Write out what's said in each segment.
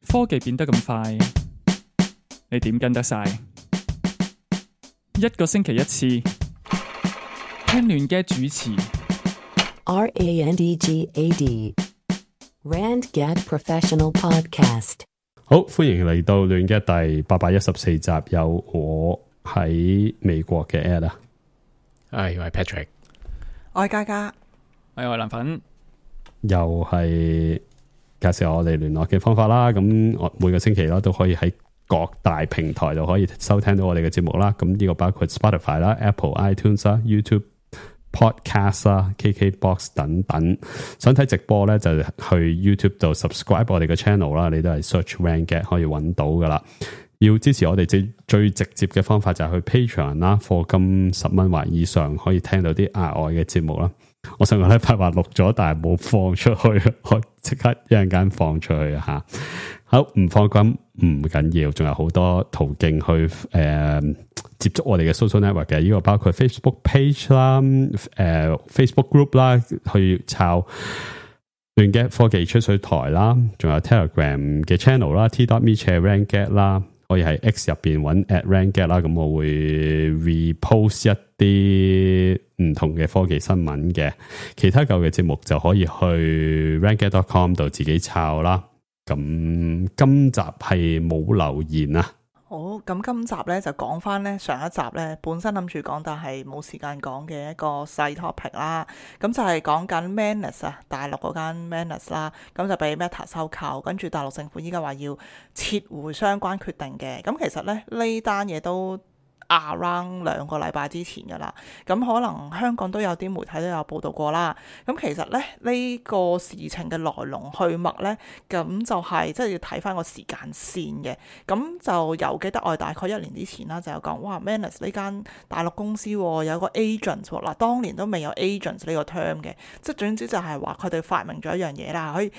科技變得咁快，你點跟得晒？一個星期一次，聽亂嘅主持。RANDGAD RandGad Professional Podcast。好，歡迎嚟到亂嘅第814集，有我喺美國嘅 Ed 啊，我係 Patrick，我係嘉嘉，我係藍粉，又係介紹我哋聯絡嘅方法啦。咁我每個星期啦都可以喺各大平台度可以收聽到我哋嘅節目啦。咁呢個包括 Spotify 啦、Apple iTunes 啦、YouTube。Podcast 啦、KKBox 等等，想睇直播咧就去 YouTube 度 subscribe 我哋嘅 channel 啦，你都係 search RandGad 可以揾到噶啦。要支持我哋最直接嘅方法就係去 Patreon 啦，課金10蚊或以上可以聽到啲額外嘅節目啦。我上個禮拜話錄咗，但係冇放出去，我即刻一陣間放出去吓。好，唔放金唔緊要，仲有好多途徑去接觸我哋嘅 social network 嘅，呢個包括 Facebook page 啦、Facebook group 啦，去抄亂嘅科技吹水台啦，仲有 Telegram 嘅 channel 啦 t.me/RandGad 啦，可以喺 X 入邊揾 @RandGad 啦，咁我會 repost 一啲唔同嘅科技新聞嘅，其他舊嘅節目就可以去 randgad.com 度自己抄啦。咁今集係冇留言啊。好，咁今集咧就講翻咧上一集咧本身諗住講，但係冇時間講嘅一個細 topic 啦。咁就係講緊 Manus 啊，大陸嗰間 Manus 啦，咁就俾 Meta 收購，跟住大陸政府依家話要撤回相關決定嘅。咁其實咧呢單嘢都around 2個禮拜之前噶啦，咁可能香港都有啲媒體都有報道過啦。咁其實咧呢個事情嘅來龍去脈咧，咁就係即係要睇翻個時間線嘅。咁就由記得我哋大概1年之前啦，就有講哇 Manus 呢間大陸公司有個 agent 嗱，當年都未有 agent 呢個 term 嘅，即係總之就係話佢哋發明咗一樣嘢啦，可以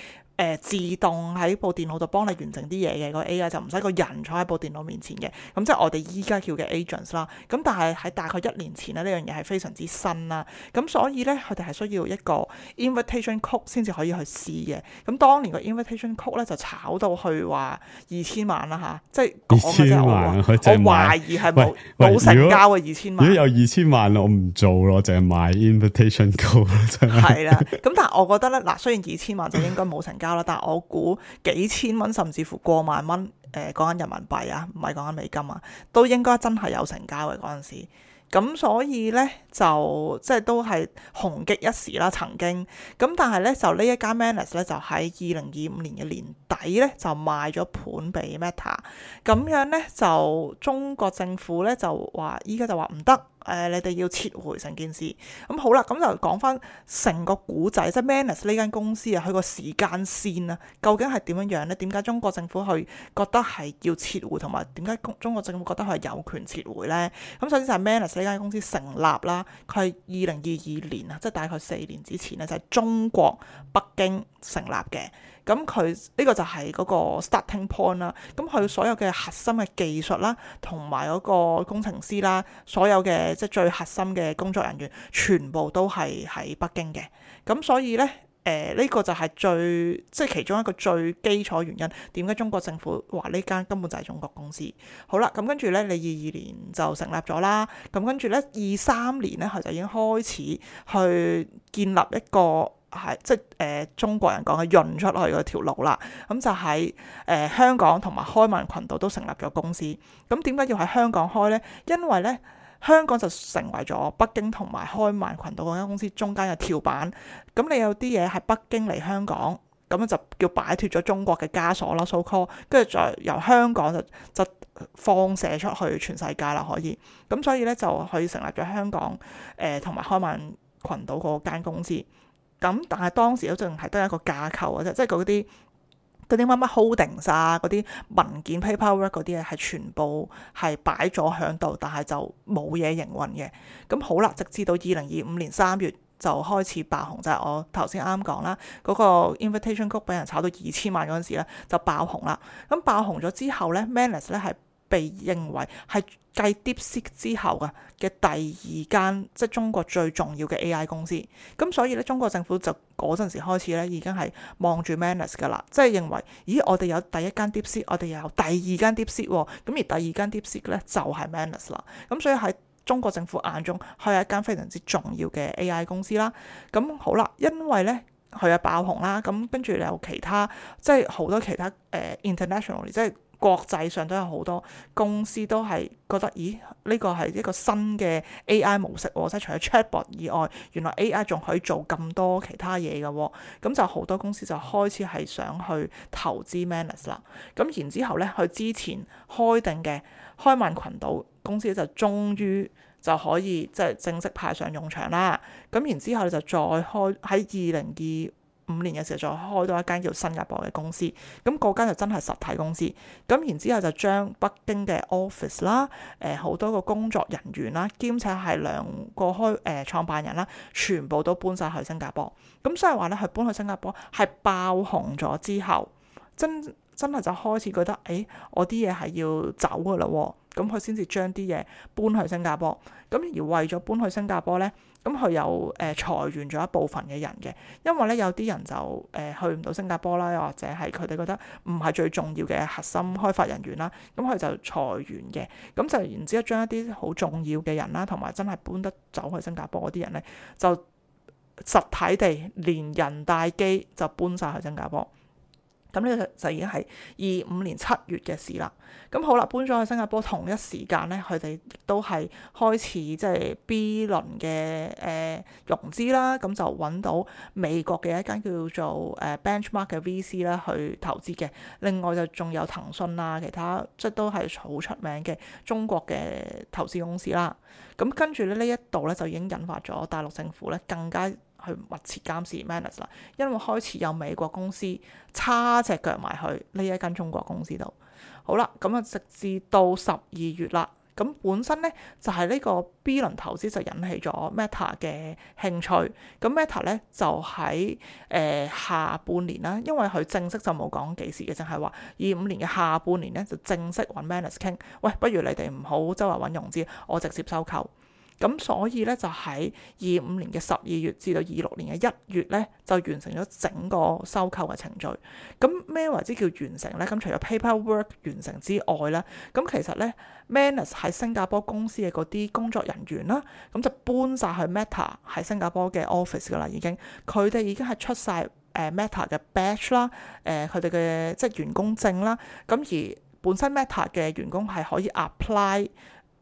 自動喺部電腦度幫你完成啲嘢嘅，個 AI 就唔使個人坐喺部電腦面前嘅，咁即係我哋依家叫嘅 agents 啦。咁但係喺大概1年前咧，呢樣嘢係非常之新啦。咁所以咧，佢哋係需要一個 invitation code 先至可以去試嘅。咁當年個 invitation code 咧就炒到去話2000萬啦吓，即係講嘅啫。我懷疑係冇成交嘅2000萬。如果有2000萬，我唔做咯，淨係買 invitation code 真係。係啦，咁但係我覺得咧，嗱，雖然2000萬就應該冇成交啦，但係我估幾千蚊甚至乎過萬蚊，講緊人民幣啊，唔係講緊美金啊，都應該真係有成交嘅嗰陣時。咁所以咧就即係都係紅極一時啦，曾經。咁但係咧就呢一間 Manus 咧就喺2025年嘅年底咧就賣咗盤俾 Meta。咁樣咧就中國政府咧就話依家就話唔得。你哋要撤回成件事，咁好啦，咁就講翻成個古仔，即係 Manus 呢間公司啊，佢個時間線啊，究竟係點樣樣呢？點解中國政府去覺得係要撤回，同埋點解中國政府覺得佢係有權撤回呢？咁首先就係 Manus 呢間公司成立啦，佢係2022年啊，即係大概4年之前咧，就係中國北京成立嘅。咁佢呢個就係嗰個 starting point 啦。咁佢所有嘅核心嘅技術啦，同埋嗰個工程師啦，所有嘅即係最核心嘅工作人員，全部都係喺北京嘅。咁所以呢，呢個就係即係其中一個最基礎原因，點解中國政府話呢間根本就係中國公司。好啦，咁跟住呢，你22年就成立咗啦。咁跟住呢，23年呢，佢就已經開始去建立一個。係即係中國人講嘅潤出去嗰條路啦，咁就喺香港同埋開曼群島都成立咗公司。咁點解要喺香港開呢？因為呢，香港就成為咗北京同埋開曼群島嗰間公司中間嘅跳板。咁你有啲嘢喺北京嚟香港，咁就叫擺脫咗中國嘅枷鎖啦，so call，跟住再由香港就放射出去全世界啦，可以。咁所以呢，就可以成立咗香港同埋開曼群島嗰間公司。咁但係當時都淨係得一個架構嘅啫，即係嗰啲乜乜 holdings 啊，嗰啲文件 paperwork 嗰啲嘢係全部係擺咗喺度，但係就冇嘢營運嘅。咁好啦，直至到2025年3月就開始爆紅，就係我頭先啱講啦，嗰個 invitation code 俾人炒到2000萬嗰陣時咧就爆紅啦。咁爆紅咗之後咧 ，Manus 咧係被認為係繼 DeepSeek 之後嘅第二間，即係中國最重要嘅 AI 公司。咁所以咧，中國政府就嗰陣時開始咧，已經係望住 Manus 噶啦，即係認為，咦，我哋有第一間 DeepSeek，我哋又有第二間 DeepSeek 喎，咁而第二間 DeepSeek 咧就係 Manus 啦。咁所以喺中國政府眼中，佢係一間非常之重要嘅 AI 公司啦。咁好啦，因為咧佢係爆紅啦，咁跟住有其他即係好多其他internationally 即係國際上都有好多公司都係覺得，咦，呢個係一個新嘅 AI 模式喎，即係除咗 chatbot 以外，原來 AI 仲可以做咁多其他嘢嘅喎，咁就好多公司就開始係想去投資 Manus 啦。咁然之後咧，佢之前開定嘅開曼群島公司就終於就可以即係正式派上用場啦。咁然之後就再開喺2025年嘅時候再開多一間叫新加坡嘅公司，咁嗰間就真係實體公司。咁然之後就將北京嘅 office 啦，好多個工作人員啦，兼且係兩個創辦人啦，全部都搬晒去新加坡。咁所以話咧，佢搬去新加坡係爆紅咗之後，真係就開始覺得，我啲嘢係要走噶啦，咁佢先至將啲嘢搬去新加坡。咁而為咗搬去新加坡咧，咁佢又裁員咗一部分嘅人嘅，因為咧有啲人就去唔到新加坡啦，又或者係佢哋覺得唔係最重要嘅核心開發人員啦，咁佢就裁員嘅。咁就然之後將一啲好重要嘅人啦，同埋真係搬得走去新加坡嗰啲人咧，就實體地連人帶機就搬晒去新加坡。咁呢個就已經係25年7月嘅事啦。咁好啦，搬咗去新加坡同一時間咧，佢哋亦都係開始即係 B 輪嘅融資啦。咁就揾到美國嘅一間叫做Benchmark 嘅 VC 啦去投資嘅。另外就仲有騰訊啊，其他即係都係好出名嘅中國嘅投資公司啦。咁跟住咧呢一度咧就已經引發咗大陸政府咧更加去密切監視 Manus 啦，因為開始有美國公司叉隻腳埋去呢一間中國公司度。好啦，咁啊直至到12月啦，咁本身咧就係呢個 B 輪投資就引起咗 Meta 嘅興趣。咁 Meta 咧就喺下半年啦，因為佢正式就冇講幾時嘅，淨係話25年嘅下半年咧就正式揾 Manus 傾，喂，不如你哋唔好周圍揾融資，我直接收購。咁所以咧就喺25年嘅12月至到26年嘅1月咧就完成咗整個收購嘅程序。咁咩為之叫完成咧？咁除咗 paperwork 完成之外咧，咁其實咧 Manus 喺新加坡公司嘅嗰啲工作人員啦，咁就搬晒去 Meta 喺新加坡嘅 office 噶啦，已經佢哋已經係出晒Meta 嘅 badge 啦，佢哋嘅即係員工證啦。咁而本身 Meta 嘅員工係可以 apply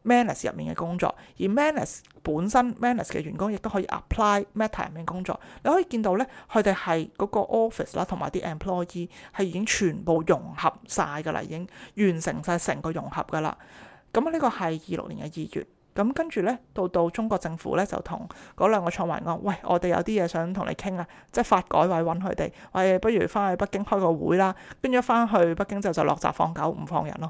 Manus 入面嘅工作，而 Manus 本身 Manus 嘅員工亦都可以 apply Meta 入面工作。你可以見到咧，佢哋係嗰個 office 啦，同埋啲 employee 係已經全部融合晒噶啦，已經完成晒成個融合噶啦。咁呢個係26年嘅2月。咁跟住咧，到中國政府咧就同嗰兩個創辦人講，喂，我哋有啲嘢想同你傾啊，即係發改委揾佢哋，喂，不如翻去北京開個會啦。跟住翻去北京之後就落閘放狗，唔放人咯，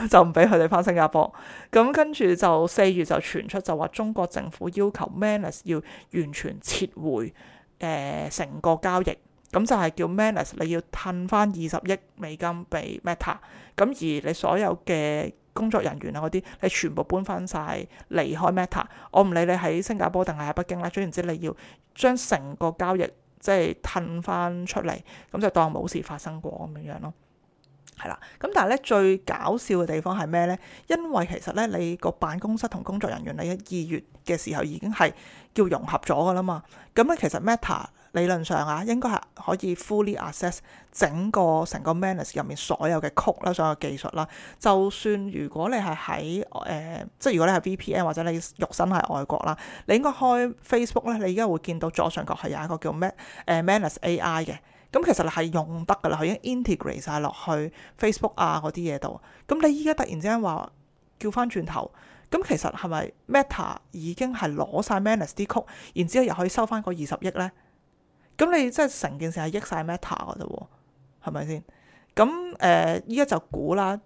就唔俾佢哋翻新加坡。咁跟住就4月就傳出就話中國政府要求 Manus 要完全撤回成個交易，咁就係叫 Manus 你要褪翻20億美金俾 Meta， 咁而你所有嘅工作人員啊嗰啲，你全部搬翻晒離開 Meta， 我唔理你喺新加坡定係喺北京啦，總言之你要將成個交易即係褪翻出嚟，咁就當冇事發生過咁樣咯。係啦，咁但係咧最搞笑嘅地方係咩咧？因為其實咧你個辦公室同工作人員你2月嘅時候已經係叫融合咗噶啦嘛，咁咧其實 Meta 理論上啊應該係可以 fully access 成個 Manus 入面所有嘅code啦，所有技術啦。就算如果你係喺即係如果你係 VPN 或者你肉身係外國啦，你應該開 Facebook 咧，你而家會見到左上角係有一個叫Manus AI 嘅。咁其實係用得噶啦，佢已經 integrate 晒落去 Facebook 啊嗰啲嘢度。咁你依家突然之間話叫翻轉頭，咁其實係咪 Meta 已經係攞晒 Manus 啲曲，然之後又可以收翻個20億咧？咁你即係成件事係益晒 Meta 噶啫喎，係咪先？咁依家就估啦，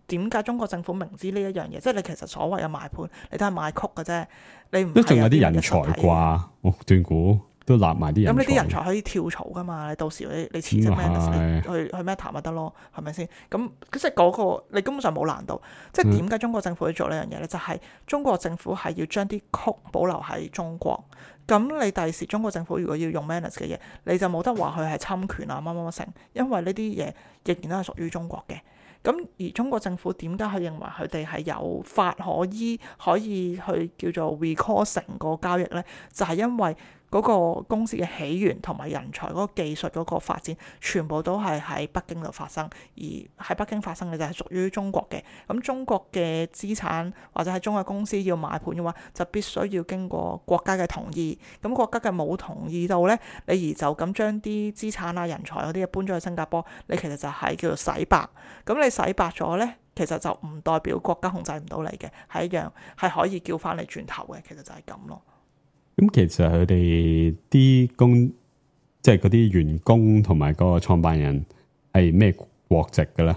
點解中國政府明知呢一樣嘢，即係你其實所謂嘅賣盤，你都係賣曲嘅啫，你唔都仲有啲人才啩？我斷估。都立埋啲人才。咁你啲人才可以跳槽噶嘛？你到時你辭職 Manus 你去 Meta 咪得咯？係咪先？咁即係嗰個你根本上冇難度。即係點解中國政府要做呢樣嘢咧？就係中國政府係要將啲曲保留喺中國。咁你第時中國政府如果要用 Manus 嘅嘢，你就冇得話佢係侵權啊乜乜乜成，因為呢啲嘢仍然都係屬於中國嘅。咁而中國政府點解佢認為佢哋係有法可依，可以去叫做 recall 成個交易呢？就係因為嗰個公司嘅起源同埋人才嗰個技術嗰個發展，全部都係喺北京度發生，而喺北京發生嘅就係屬於中國嘅。咁中國嘅資產或者係中國公司要買盤嘅話，就必須要經過國家嘅同意。咁國家嘅冇同意到呢，你而就咁將啲資產啊、人才嗰啲嘢搬咗去新加坡，你其實就係叫做洗白。咁你洗白咗呢，其實就唔代表國家控制唔到你嘅，係一樣係可以叫翻你轉頭嘅。其實就係咁咯。咁其實佢哋啲即係嗰啲員工同埋嗰個創辦人係咩國籍嘅咧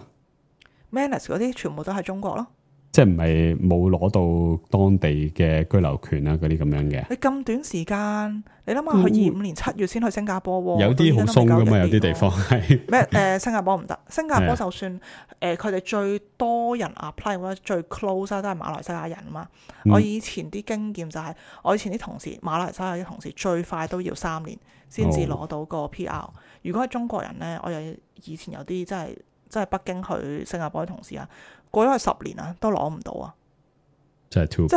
Manus 嗰啲全部都係中國咯，即係唔係冇攞到當地嘅居留權啊嗰啲咁樣嘅。你咁短時間，你諗下佢25年7月先去新加坡喎，有啲好鬆噶嘛，有啲地方係咩？新加坡唔得，新加坡就算佢哋最多人 apply 或者最 close 都係馬來西亞人啊嘛。我以前啲經驗就係、我以前啲同事馬來西亞啲同事最快都要3年先至攞到個 PR。如果係中國人呢，我有以前有啲真係北京去新加坡嘅同事啊，過咗去10年啊，都攞唔到啊！即係 too bad，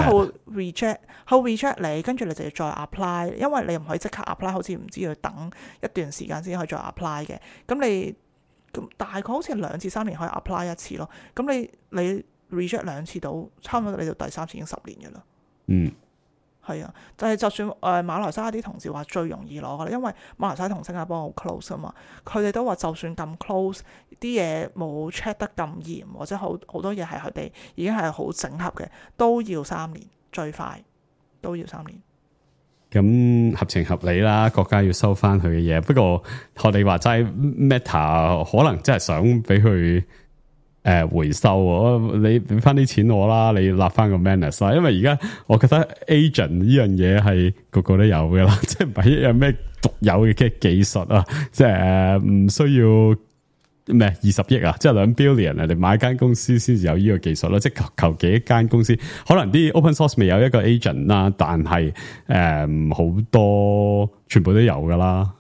即係好 reject 你，跟住你就要再 apply， 因為你唔可以即刻 apply， 好似唔知要等一段時間先可以再 apply 嘅。咁你咁大概好似2至3年可以 apply 一次咯。咁你 reject 2次到，差唔多你到第3次已經10年嘅啦。嗯。係啊，但係就算馬來西亞啲同事話最容易攞噶啦，因為馬來西亞同新加坡好 close 啊嘛，佢哋都話就算咁 close，啲嘢冇 check 得咁嚴，或者好多嘢係佢哋已經係好整合嘅，都要3年，最快都要3年。咁合情合理啦，國家要收翻佢嘅嘢。不過學你話齋 Meta 可能真係想俾佢回收，你俾翻啲錢我啦，你立翻個 Manus 啦。因為而家我覺得 agent 呢樣嘢係個個都有嘅啦，即係唔係一樣咩獨有嘅技術啊，即係唔需要咩20億啊，即係2 billion 啊，你買間公司先至有呢個技術咯。即係求其一間公司，可能啲 open source 未有一個 agent 啦，但係好多全部都有噶啦。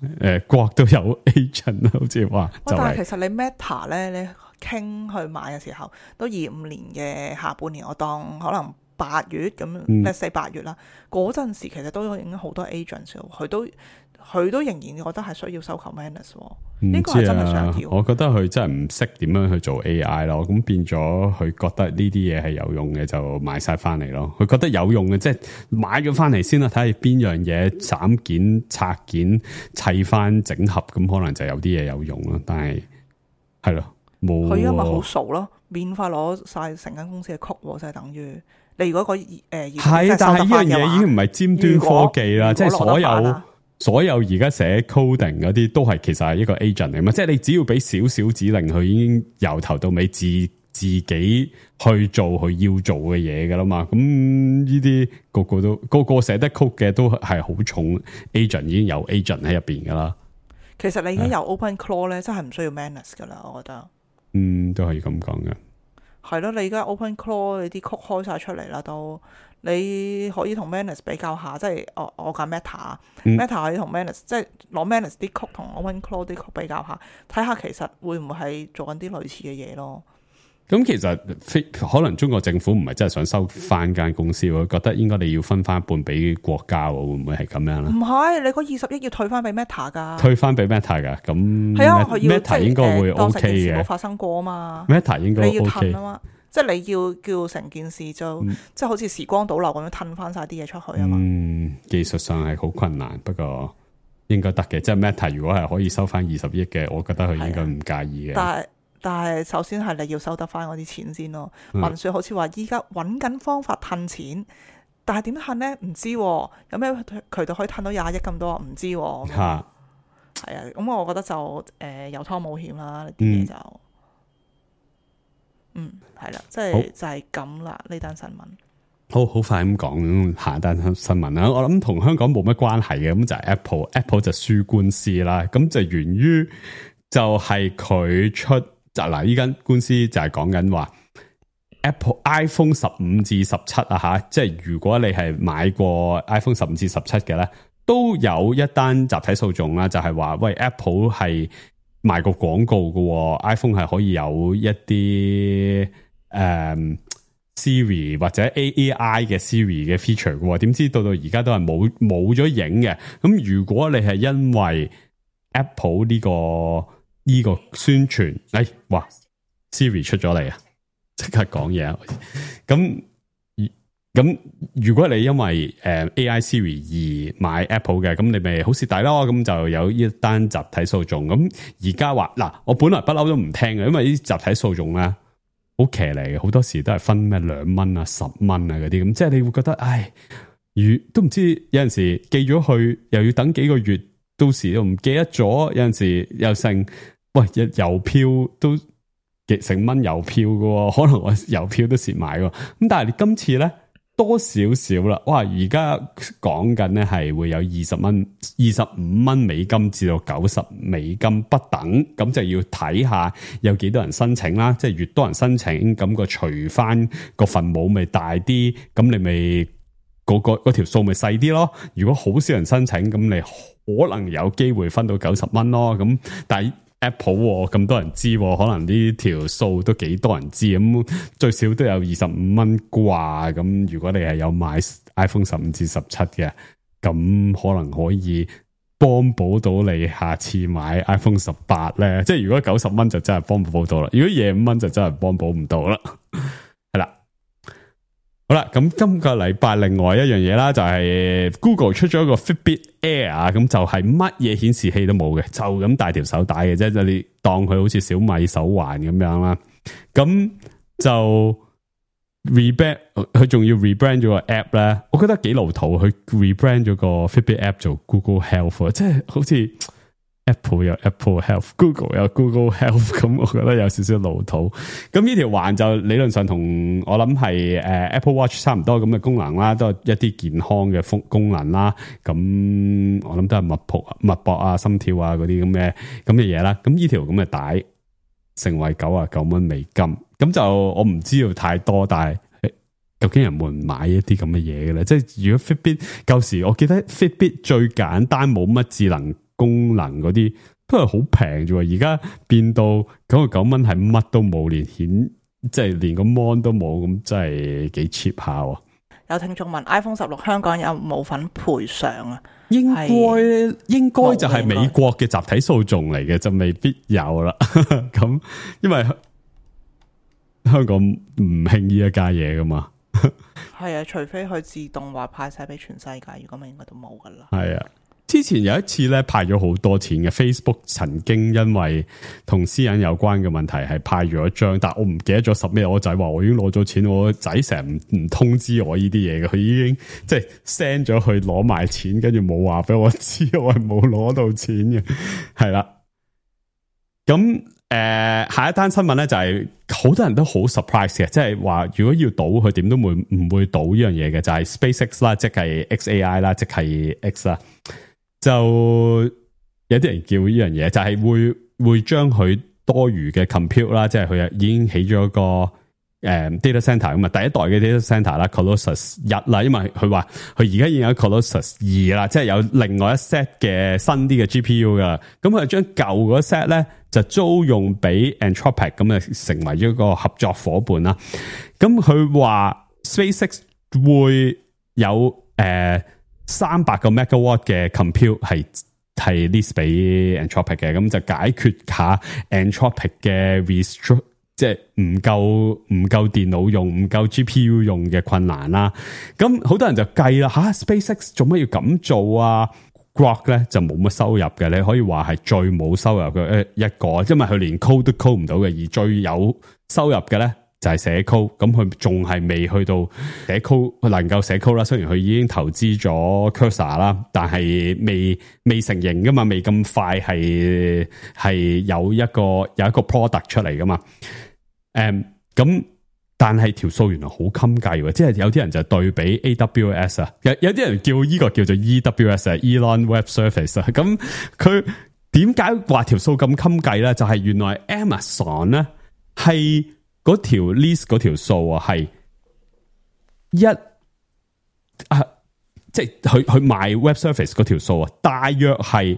國都有 agent， 好似話。但係其實你 Meta 咧，你傾去買嘅時候，都25年嘅下半年，我當可能8月咁，4、8月啦，嗰陣時其實都已經好多 agents， 佢都仍然覺得係需要收購 Manus， 呢個係真係想要。我覺得佢真係唔識點樣去做 AI 咯，咁變咗佢覺得呢啲嘢係有用嘅就買晒翻嚟咯。佢覺得有用嘅，即係買咗翻嚟先啦，睇下邊樣嘢斬件拆件砌翻整合，咁可能就有啲嘢有用咯。但係係咯。佢因為好傻咯，免費攞晒成間公司嘅曲，就係等於你如果係，但係呢樣嘢已經唔係尖端科技啦，即係所有而家寫 coding 嗰啲都係其實係一個 agent 嚟嘛，即係你只要俾少少指令，佢已經由頭到尾自己去做佢要做嘅嘢噶啦嘛。咁呢啲個個寫得 code 嘅都係好重 agent， 已經有 agent 喺入邊噶啦。其實你已經有 OpenClaw 咧，真係唔需要 Manus 噶啦，我覺得。都可以咁講嘅。係咯，你而家 OpenClaw 你啲曲開晒出嚟啦，都你可以同 Manus 比較下，即係我揀 Meta，Meta 可以同 Manus，即係攞 Manus 啲曲同 OpenClaw 啲曲比較下，睇下其實會唔會係做緊啲類似嘅嘢咯。咁其實可能中國政府唔係真係想收翻間公司，我覺得應該你要分翻一半俾國家，會唔會係咁樣咧？唔係，你嗰20億要退翻俾 Meta 噶，退翻俾 Meta 噶，咁係啊，佢要 Meta 應該會 OK 嘅，冇發生過啊嘛。Meta 應該 OK 你要褪啊嘛，即係你要叫成件事就即係好似時光倒流咁樣褪翻晒啲嘢出去啊嘛。技術上係好困難，不過應該得嘅。即係 Meta 如果係可以收翻20億嘅，我覺得佢應該唔介意嘅。但係首先係你要收得翻嗰啲錢先咯。文說好似話依家揾緊方法褪錢，但係點褪呢？唔知有咩渠道可以褪到20億咁多？唔知係啊。咁我覺得就有湯冇險啦，呢啲嘢就係啦，即係就係咁啦呢單新聞。好快咁講下單新聞啦，我諗同香港冇乜關係嘅，咁就係 Apple 就輸官司啦，咁就源於就係佢出就嗱呢間官司就係講緊話 Apple iPhone 15至17啊吓，即係如果你係買過 iPhone 15至17嘅咧，都有一單集體訴訟啦，就係話喂 Apple 係賣過廣告嘅 ，iPhone 係可以有一啲Siri 或者 AI 嘅 Siri 嘅 feature 嘅，點知到而家都係冇咗影嘅。咁如果你係因為 Apple 呢個宣傳，哇 Siri 出咗嚟啊，即刻講嘢啊！咁如果你因為AI Siri 而買 Apple 嘅，咁你咪好蝕底咯。咁就有一單集體訴訟。咁而家話嗱，我本來不嬲都唔聽嘅，因為呢啲集體訴訟咧。好騎嚟嘅，好多時都係分咩2蚊啊、10蚊啊嗰啲咁，即係你會覺得，唉，都唔知有陣時寄咗去，又要等幾個月，到時又唔記得咗，有陣時又剩，喂，郵票都成蚊郵票嘅，可能我郵票都蝕埋嘅，咁但係你今次咧多少少啦，哇！而家講緊咧係會有25蚊美金至到90美金不等，咁就要睇下有幾多人申請啦，即係越多人申請，咁個除翻個分母咪大啲，咁你咪嗰條數咪細啲咯。如果好少人申請，咁你可能有機會分到90蚊咯。咁但係Apple 咁多人知，可能呢條數都幾多人知，咁最少都有25蚊啩。咁如果你係有買 iPhone 15至17嘅，咁可能可以幫補到你下次買 iPhone 18咧。即係如果90蚊就真係幫補到啦，如果25蚊就真係幫補唔到啦。係啦。好啦，咁今個禮拜另外一樣嘢啦，就係 Google 出咗一個 Fitbit Air， 咁就係乜嘢顯示器都冇嘅，就咁帶條手帶嘅啫，就你當佢好似小米手環咁樣啦。咁就 rebrand， 佢仲要 rebrand 咗個 app 咧，我覺得幾老土，佢 rebrand 咗個 Fitbit app 做 Google Health， 即係好似 Apple 有 Apple Health，Google 有 Google Health， 咁我覺得有少少老土。咁呢條環就理論上同我諗係Apple Watch 差唔多咁嘅功能啦，都係一啲健康嘅功能啦。咁我諗都係脈搏啊、心跳啊嗰啲咁嘅嘢啦。咁呢條咁嘅帶成為99蚊美金，咁就我唔知道太多，但係究竟人會唔買一啲咁嘅嘢嘅咧？即係如果 Fitbit 舊時，我記得 Fitbit 最簡單冇乜智能功能嗰啲都係好平啫，而家變到99蚊係乜都冇，連顯即係連個 mon 都冇，咁真係幾 cheap 下。有聽眾問 iPhone 16香港有冇份賠償啊？應該就係美國嘅集體訴訟嚟嘅，就未必有啦。咁因為香港唔興呢一家嘢噶嘛。係啊，除非佢自動話派晒俾全世界，如果咪應該都冇噶啦。係啊。之前有一次咧派咗好多錢嘅 Facebook 曾經因為同私隱有關嘅問題係派咗一張，但我唔記得咗十咩，我仔話我已經攞咗錢，我仔成日唔通知我呢啲嘢嘅，佢已經即係 send 咗去攞埋錢，跟住冇話俾我知，我係冇攞到錢嘅，係啦。咁下一單新聞咧就係好多人都好 surprise 嘅，即係話如果要賭佢點都唔會賭呢樣嘢嘅，就係 SpaceX 啦，即係 XAI 啦，即係 X 啦。就有啲人叫呢樣嘢，就係會將佢多餘嘅 compute 啦，即係佢已經起咗個data center 咁啊，第一代嘅 data center 啦 ，Colossus 1啦，因為佢話佢而家已經有 Colossus 2啦，即係有另外一 set 嘅新啲嘅 GPU 噶，咁佢將舊嗰 set 咧就租用俾 Anthropic， 咁啊成為咗一個合作伙伴啦。咁佢話 SpaceX 會有300個 megawatt 嘅 compute 係 lease 俾 Anthropic 嘅，咁就解決下 Anthropic 嘅 restrict， 即係唔夠電腦用、唔夠 GPU 用嘅困難啦。咁好多人就計啦，SpaceX 做乜要咁做啊？Grok 咧就冇乜收入嘅，你可以話係最冇收入嘅一個，因為佢連 code 都 code 唔到嘅，而最有收入嘅咧就係寫 code， 咁佢仲係未去到寫 code 能夠寫 code 啦。雖然佢已經投資咗 Cursor 啦，但係未成型噶嘛，未咁快係有一個 product 出嚟噶嘛。咁但係條數原來好襟計喎，即係有啲人就對比 AWS 啊，有啲人叫呢個叫做 EWS 啊 ，Elon Web Service 啊，咁佢點解話條數咁襟計咧？就係原來 Amazon 咧係嗰條 list 嗰條數啊，係即係佢賣 Web Service 嗰條數啊，大約係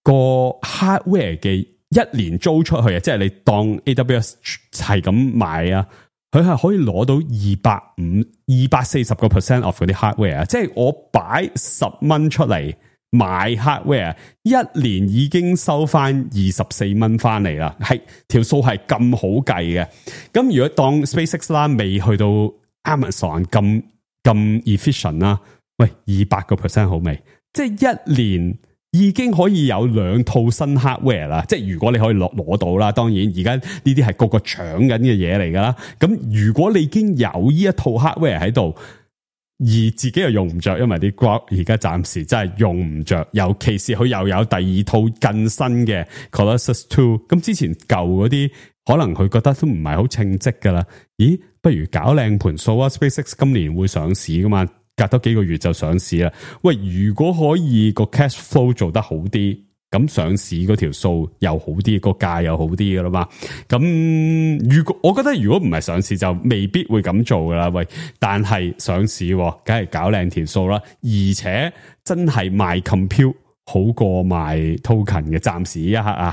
個 hardware 嘅一年租出去啊，即係你當 AWS 係咁賣啊，佢係可以攞到240% of 嗰啲 hardware 啊，即係我擺10蚊出嚟買 hardware， 一年已經收翻24蚊翻嚟啦，係條數係咁好計嘅。咁如果當 SpaceX 啦，未去到 Amazon 咁 efficient 啦，喂200% 好未？即係一年已經可以有2套新 hardware 啦，即係如果你可以攞到啦，當然而家呢啲係個個搶緊嘅嘢嚟噶啦。咁如果你已經有呢一套 hardware 喺度，而自己又用唔着，因為啲 Grok 而家暫時真係用唔着，尤其是佢又有第2套更新嘅 Colossus 2，咁之前舊嗰啲可能佢覺得都唔係好稱職噶啦。咦，不如搞靚盤數啊 ！SpaceX 今年會上市噶嘛？隔多幾個月就上市啦。喂，如果可以個 cash flow 做得好啲，咁上市嗰條數又好啲，個價又好啲噶啦嘛。咁如果我覺得如果唔係上市就未必會咁做噶啦。喂，但係上市梗係搞靚條數啦，而且真係賣 compute 好過賣 token 嘅。暫時一刻啊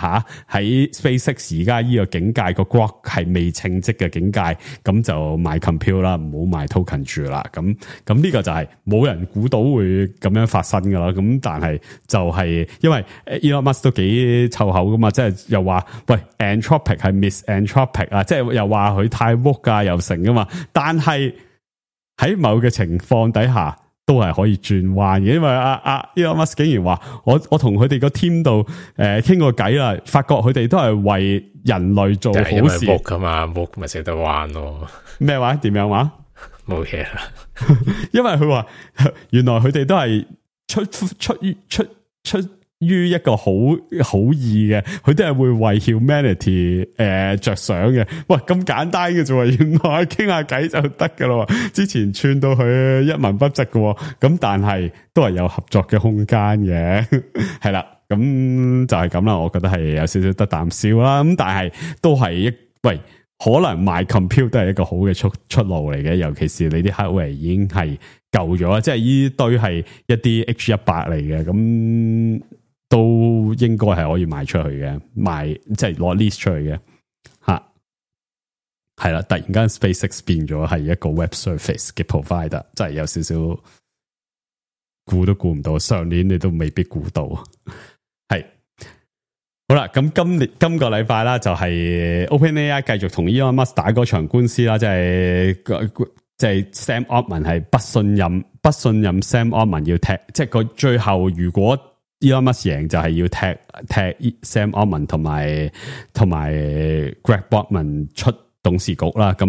吓，喺 SpaceX 而家呢個境界，個 Grok 係未稱職嘅境界，咁就賣 compute 啦，唔好賣 token 住啦。咁呢個就係冇人估到會咁樣發生噶啦。咁但係就係因為 Elon Musk 都幾臭口噶嘛，即係又話喂 Anthropic 係 misanthropic 啊，即係又話佢太 woke 啊又成噶嘛。但係喺某嘅情況底下，都係可以轉彎嘅，因為Elon Musk 竟然話我同佢哋個 team 度傾過偈啦，發覺佢哋都係為人類做好事。因為 woke 噶嘛 ，woke 咪識得彎咯。咩話？點樣話？冇嘢啦。因為佢話原來佢哋都係出於一個好意嘅，佢都係會為 humanity 着想嘅。喂，咁簡單嘅啫，原來傾下偈就得噶咯。之前串到佢一文不值嘅，咁但係都係有合作嘅空間嘅，係啦。咁就係咁啦。我覺得係有少少得啖笑啦。咁但係都係喂，可能賣 compute 都係一個好嘅出路嚟嘅，尤其是你啲 hardware 已經係舊咗，即係呢堆係一啲 H100 嚟嘅，咁都應該係可以賣出去嘅，即係攞 lease 出去嘅吓，係啦。突然間 SpaceX 變咗係一個 web service 嘅 provider，真係有少少估都估唔到，上年你都未必估到。係好啦，咁今個禮拜啦，就係 OpenAI 繼續同 Elon Musk 打嗰場官司啦，即係 Sam Altman 係不信任 Sam Altman 要踢，即係個最後如果Elon Musk 贏就係要踢 Sam Altman 同埋 Greg Brockman 出董事局啦。咁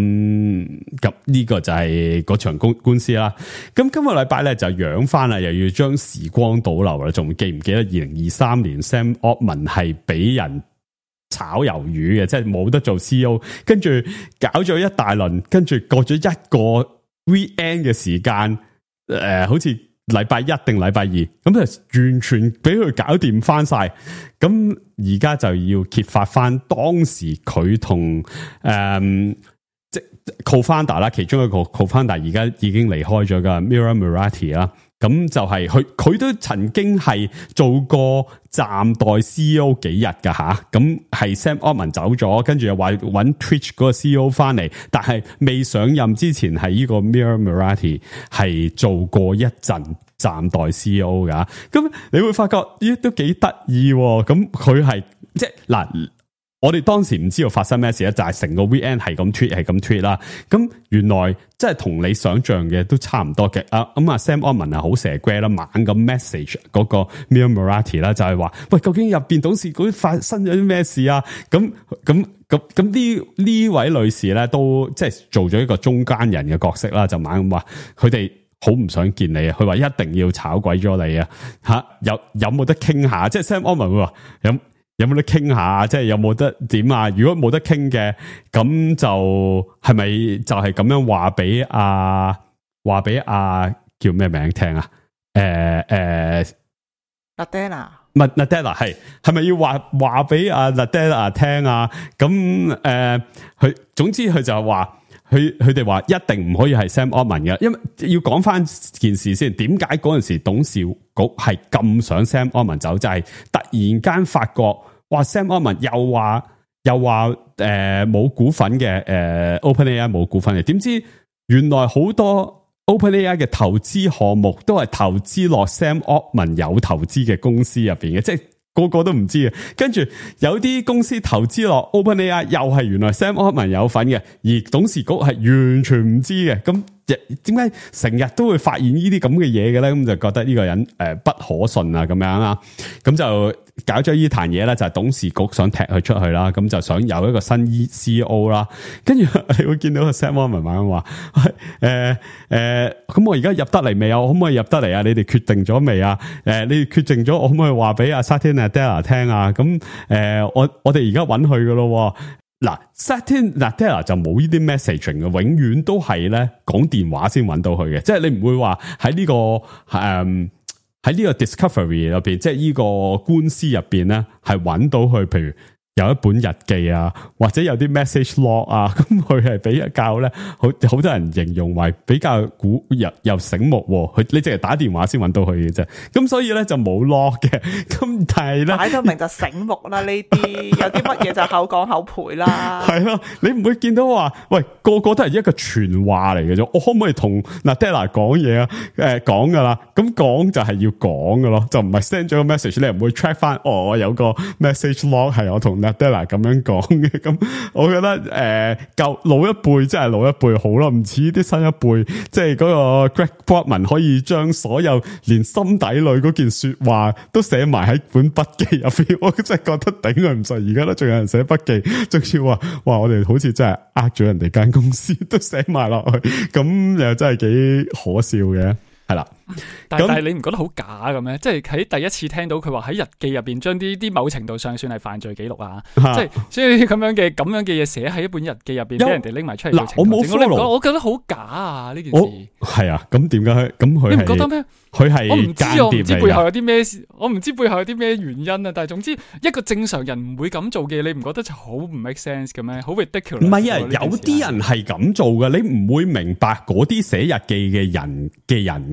呢個就係嗰場官司啦。咁今個禮拜咧就養翻啦，又要將時光倒流啦。仲記唔記得2023年 Sam Altman 係俾人炒魷魚嘅，即係冇得做 CEO， 跟住搞咗一大輪，跟住過咗一個 weekend 嘅時間，好似禮拜一定禮拜二，咁就完全俾佢搞掂翻晒。咁而家就要揭發翻當時佢同即 co-founder 啦，其中一個 co-founder 而家已經離開咗噶 Mira Murati 啦。咁就係佢都曾經係做過暫代 CEO 幾日噶吓，咁係 Sam Altman 走咗，跟住又話搵 Twitch 嗰個 CEO 翻嚟，但係未上任之前係呢個 Mira Murati 係做過一陣暫代 CEO 噶，咁你會發覺咦都幾得意，咁佢係即係嗱。我哋當時唔知道發生咩事咧，就係成個 VN 係咁 tweet 啦。咁原來即係同你想象嘅都差唔多嘅。Sam Altman 係好蛇龜啦，猛咁 message 嗰個 Mira Murati 啦，就係話喂，究竟入邊董事局發生咗啲咩事啊？咁呢位女士咧都即係做咗一個中間人嘅角色啦，就猛咁話佢哋好唔想見你啊！佢話一定要炒鬼咗你啊！吓有冇得傾下？即係 Sam Altman 會話有冇得傾下？即係有冇得點啊？如果冇得傾嘅，咁就係咪就係咁樣話俾叫咩名聽啊Nadella 唔係 Nadella 係咪要話俾阿 Nadella 聽啊？咁佢總之佢就係話佢哋話一定唔可以係 Sam Altman 嘅，因為要講翻件事先。點解嗰陣時董事局係咁想 Sam Altman 走？就係突然間發覺，哇 Sam Altman 又話冇股份嘅，OpenAI 冇股份嘅。點知原來好多 OpenAI 嘅投資項目都係投資落 Sam Altman 有投資嘅公司入邊嘅，即係個個都唔知嘅。跟住有啲公司投資落 OpenAI 又係原來 Sam Altman 有份嘅，而董事局係完全唔知嘅。咁點解成日都會發現呢啲咁嘅嘢嘅咧？咁就覺得呢個人不可信啊，咁樣啊，咁就搞咗呢壇嘢咧，就係董事局想踢佢出去啦，咁就想有一個新 CEO 啦。跟住你會見到個 Sam Altman 咁話，咁我而家入得嚟未啊？我可唔可以入得嚟啊？你哋決定咗未啊？你哋決定咗，我可唔可以話俾阿 Satya Nadella 聽啊？咁我哋而家揾佢噶咯。嗱 Satya Nadella 就冇呢啲 messaging 嘅，永遠都係咧講電話先揾到佢嘅，即係你唔會話喺呢個喺呢個 discovery 入邊，即係呢個官司入邊咧係揾到佢，譬如有一本日記啊，或者有啲 message log 啊，咁佢係比較咧，好多人形容為比較又醒目，你淨係打電話先揾到佢嘅啫，咁所以咧就冇 log 嘅，咁但係咧擺到明就醒目啦，呢啲有啲乜嘢就口講口賠啦，係咯，你唔會見到話，喂個個都係一個傳話嚟嘅啫，我可唔可以同 Nadella 講嘢啊？講噶啦，咁講就係要講噶咯，就唔係 send 咗個 message，你唔會 track 翻，我有個 message log 係我同Nadella 咁樣講嘅，咁我覺得舊老一輩真係老一輩好啦，唔似啲新一輩，即係嗰個 Greg Brockman 可以將所有連心底裏嗰件說話都寫埋喺本筆記入邊，我真係覺得頂佢唔順。而家都仲有人寫筆記，仲要話哇，我哋好似真係咗人哋間公司都寫埋落去，咁又真係幾可笑嘅。係啦，但係你唔覺得好假嘅咩？即係喺第一次聽到佢話喺日記入邊將啲某程度上算係犯罪記錄啊，即係所以咁樣嘅嘢寫喺一本日記入邊，俾人哋拎埋出嚟。嗱，我冇 follow，我覺得好假啊！呢件事係啊，咁點解咁佢？你唔覺得咩？佢係我唔知背後有啲咩，我唔知背後有啲咩原因啊！但係總之一個正常人唔會咁做嘅，你唔覺得就好唔 make sense 嘅咩？好 ridiculous。唔係啊，有啲人係咁做嘅，你唔會明白嗰啲寫日記嘅人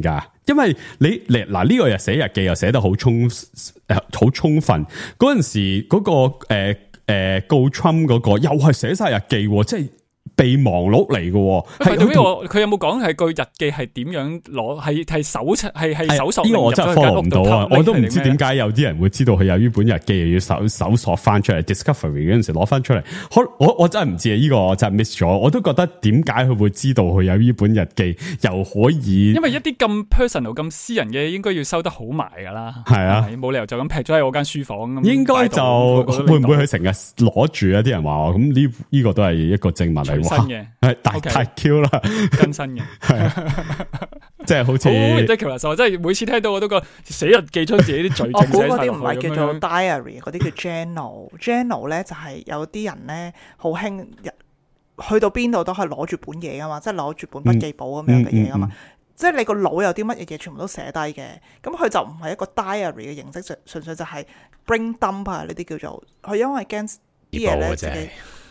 噶，因為你嗱呢個又寫日記又寫得好充分，嗰陣時嗰個告 Trump 嗰個又係寫晒日記，即係。備忘錄嚟嘅，佢有冇講係個日記係點樣攞？係搜索？呢個我真係 follow 唔到啊！我都唔知點解有啲人會知道佢有呢本日記，又要搜索翻出嚟 Discovery 嗰陣時攞翻出嚟。我真係唔知啊！呢個我真係 miss 咗。我都覺得點解佢會知道佢有呢本日記，又可以？因為一啲咁 personal、咁私人嘅，應該要收得好埋噶啦。係啊，冇理由就咁劈咗喺我間書房咁。應該就會唔會佢成日攞住啊？啲人話咁呢個都係一個證物嚟。新嘅係大 Q 啦，更新嘅，即係好似。我真係每次聽到我都覺得寫日記將自己啲罪證寫晒落去。嗰啲唔係叫做 diary， 嗰啲叫 journal。journal 咧就係有啲人咧好興，去到邊度都可以攞住本嘢噶嘛，即係攞住本筆記簿咁樣嘅嘢噶嘛。即係你個腦有啲乜嘢嘢，全部都寫低嘅。咁佢就唔係一個 diary 嘅形式，純粹就係 brain dump 啊呢啲叫做。佢因為驚啲嘢咧自己。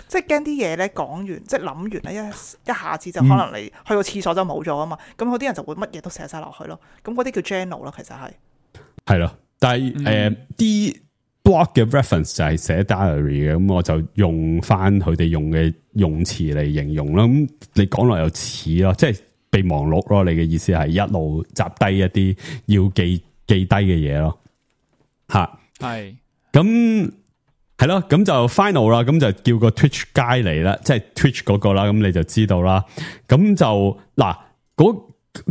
即係驚啲嘢咧講完，即係諗完咧一下子就可能你去個廁所就冇咗啊嘛，咁嗰啲人就會乜嘢都寫晒落去咯。咁嗰啲叫 journal 咯，其實係咯。但係啲 blog 嘅 reference 就係寫 diary 嘅，咁我就用翻佢哋用嘅用詞嚟形容啦。咁你講落又似咯，即係備忘錄咯。你嘅意思係一路集低一啲要記低嘅嘢咯。吓，係咁。係咯，咁就 final 啦，咁就叫個 Twitch guy 嚟啦，即係 Twitch 嗰個啦，咁你就知道啦。咁就嗱，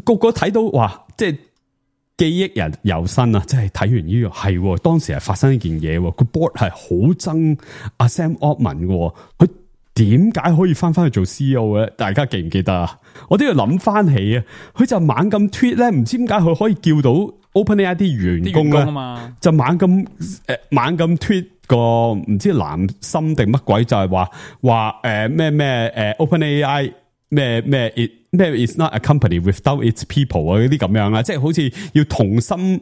個個睇到哇，即係記憶人猶新啊！即係睇完呢個係，當時係發生一件嘢，個 board 係好憎阿 Sam Altman 嘅，佢點解可以翻去做 CEO 嘅？大家記唔記得啊？我都要諗翻起啊，佢就猛咁 tweet 咧，唔知點解佢可以叫到 OpenAI 啲員工咧，就猛咁 tweet。個唔知藍心定乜鬼就係話咩OpenAI 咩 is not a company without its people 啊嗰啲咁樣啦，即係好似要同心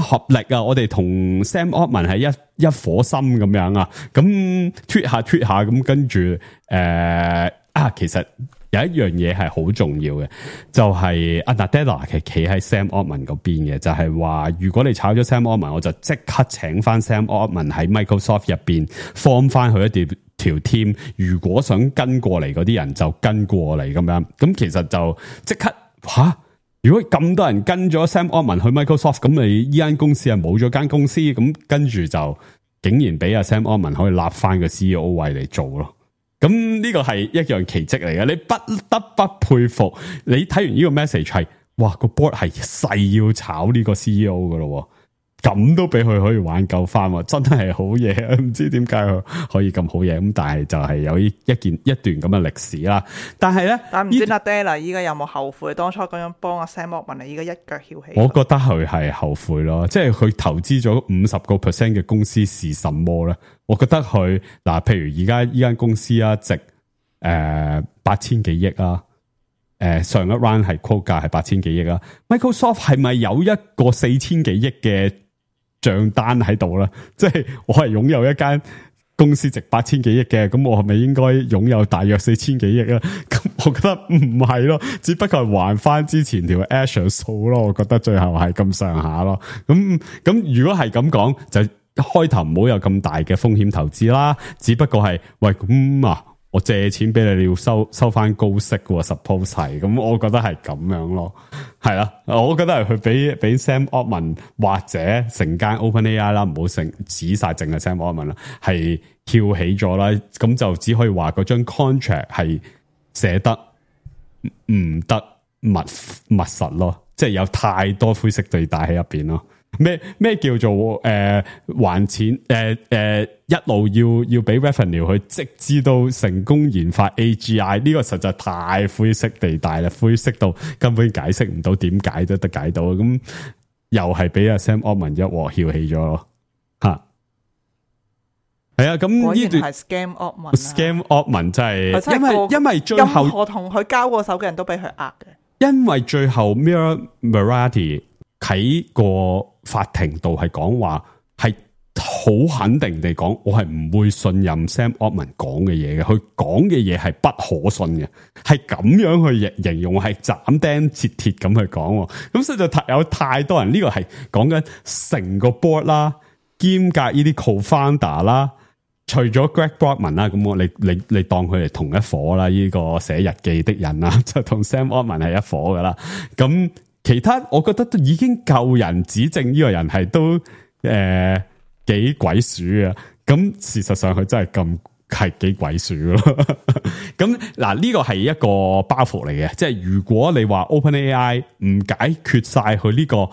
合力啊！我哋同 Sam Altman 係一顆心咁樣啊，咁 tweet 下咁跟住其實有一樣嘢係好重要嘅，就係Nadella係企喺 Sam Altman 嗰邊嘅，就係話如果你炒咗 Sam Altman， 我就即刻請翻 Sam Altman 喺 Microsoft 入邊 form 翻佢一條 team， 如果想跟過嚟嗰啲人就跟過嚟咁樣，咁其實就即刻如果咁多人跟咗 Sam Altman 去 Microsoft， 咁你依間公司係冇咗間公司，咁跟住就竟然俾阿 Sam Altman 可以立翻個 CEO 位嚟做咯。咁呢個係一樣奇蹟嚟嘅，你不得不佩服。你睇完呢個 message 係，哇個 board 係誓要炒呢個 CEO 噶咯，咁都俾佢可以挽救翻，真係好嘢。唔知點解佢可以咁好嘢，咁但係就係有一段咁嘅歷史啦。但係咧，但唔知 Nadella 依家有冇後悔當初咁樣幫阿 Sam Altman， 你依家一腳翹起？我覺得佢係後悔咯，即係佢投資咗50% 嘅公司是什麼咧？我覺得佢譬如而家依間公司啊，值8000幾億啊，上一 round 係 quote 價係8000幾億啊。Microsoft 係咪有一個4000幾億嘅賬單喺度咧？即係我係擁有一間公司值8000幾億嘅，咁我係咪應該擁有大約4000幾億啊？咁我覺得唔係咯，只不過係還翻之前條 Azure 數咯。我覺得最後係咁上下咯。咁如果係咁講，就開頭唔好有咁大嘅風險投資啦。只不過係喂我借錢俾你，你要收翻高息嘅 suppose 係，咁我覺得係咁樣咯，係啦，我覺得係佢俾 Sam Altman 或者成間 OpenAI 啦，唔好指晒淨係 Sam Altman 啦，係翹起咗啦，咁就只可以話嗰張 contract 係寫得唔得密實咯，即係有太多灰色地帶喺入邊咯。咩叫做還錢一路要俾 revenue 去，直至到成功研發 AGI， 呢個實在太灰色地帶啦，灰色到根本解釋唔到點解都得解到，咁又係俾阿 Sam Altman 一鑊翹起咗咯，係啊，咁呢段係 Scam Altman 真係，因為最後任何同佢交過手嘅人都俾佢呃嘅，因為最後 Mira Murati 喺個法庭度係講話，係好肯定地講，我係唔會信任 Sam Altman 講嘅嘢嘅，佢講嘅嘢係不可信嘅，係咁樣去形容，係斬釘截鐵咁去講，咁所以就有太多人呢個係講緊成個 board 啦，兼夾呢啲 co-founder 啦，除咗 Greg Brockman 啦，咁你當佢係同一夥啦，呢個寫日記的人啦，就同 Sam Altman 係一夥噶啦，咁。其他我覺得都已經夠人指證呢個人係都幾鬼鼠啊！咁事實上佢真係咁係幾鬼鼠咯。咁嗱呢個係一個包袱嚟嘅，即係如果你話 OpenAI 唔解決晒佢呢個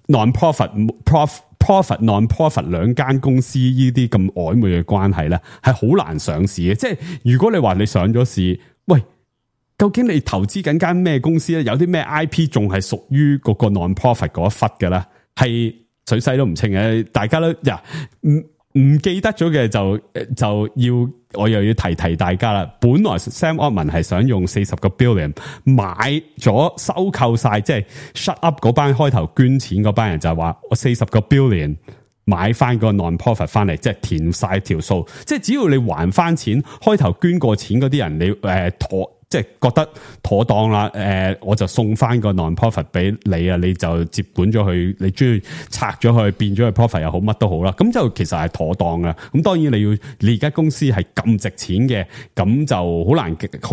non-profit non-profit 兩間公司呢啲咁曖昧嘅關係咧，係好難上市嘅。即係如果你話你上咗市，喂。究竟你投資緊間咩公司咧？有啲咩 IP 仲係屬於嗰個 non-profit 嗰一忽嘅咧？係水洗都唔清嘅，大家都唔記得咗嘅就要我又要提大家啦。本來 Sam Altman 係想用40個 billion 買咗收購晒，即係 shut up 嗰班開頭捐錢嗰班人就係話我40個 billion 買翻個 non-profit 翻嚟，即係填晒條數，即係只要你還翻錢，開頭捐過錢嗰啲人你即係覺得妥當啦，我就送翻個 non-profit 俾你啊，你就接管咗佢，你中意拆咗佢，變咗佢 profit 又好，乜都好啦，咁就其實係妥當噶。咁當然你而家公司係咁值錢嘅，咁就好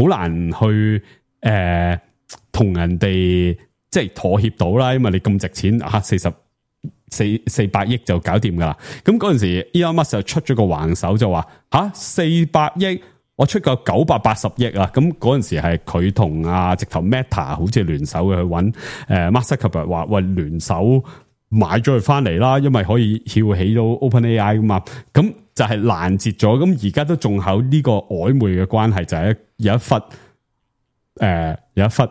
難去同人哋即係妥協到啦，因為你咁值錢啊，400億就搞掂噶啦。咁嗰陣時 Elon Musk 就出咗個橫手就話400億。我出個980億啊！咁嗰陣時係佢同直頭 Meta 好似聯手嘅去揾Mark Zuckerberg 話喂聯手買咗佢翻嚟啦，因為可以翹起到 OpenAI 噶嘛，咁就係攔截咗。咁而家都仲有呢個曖昧嘅關係，就係有一忽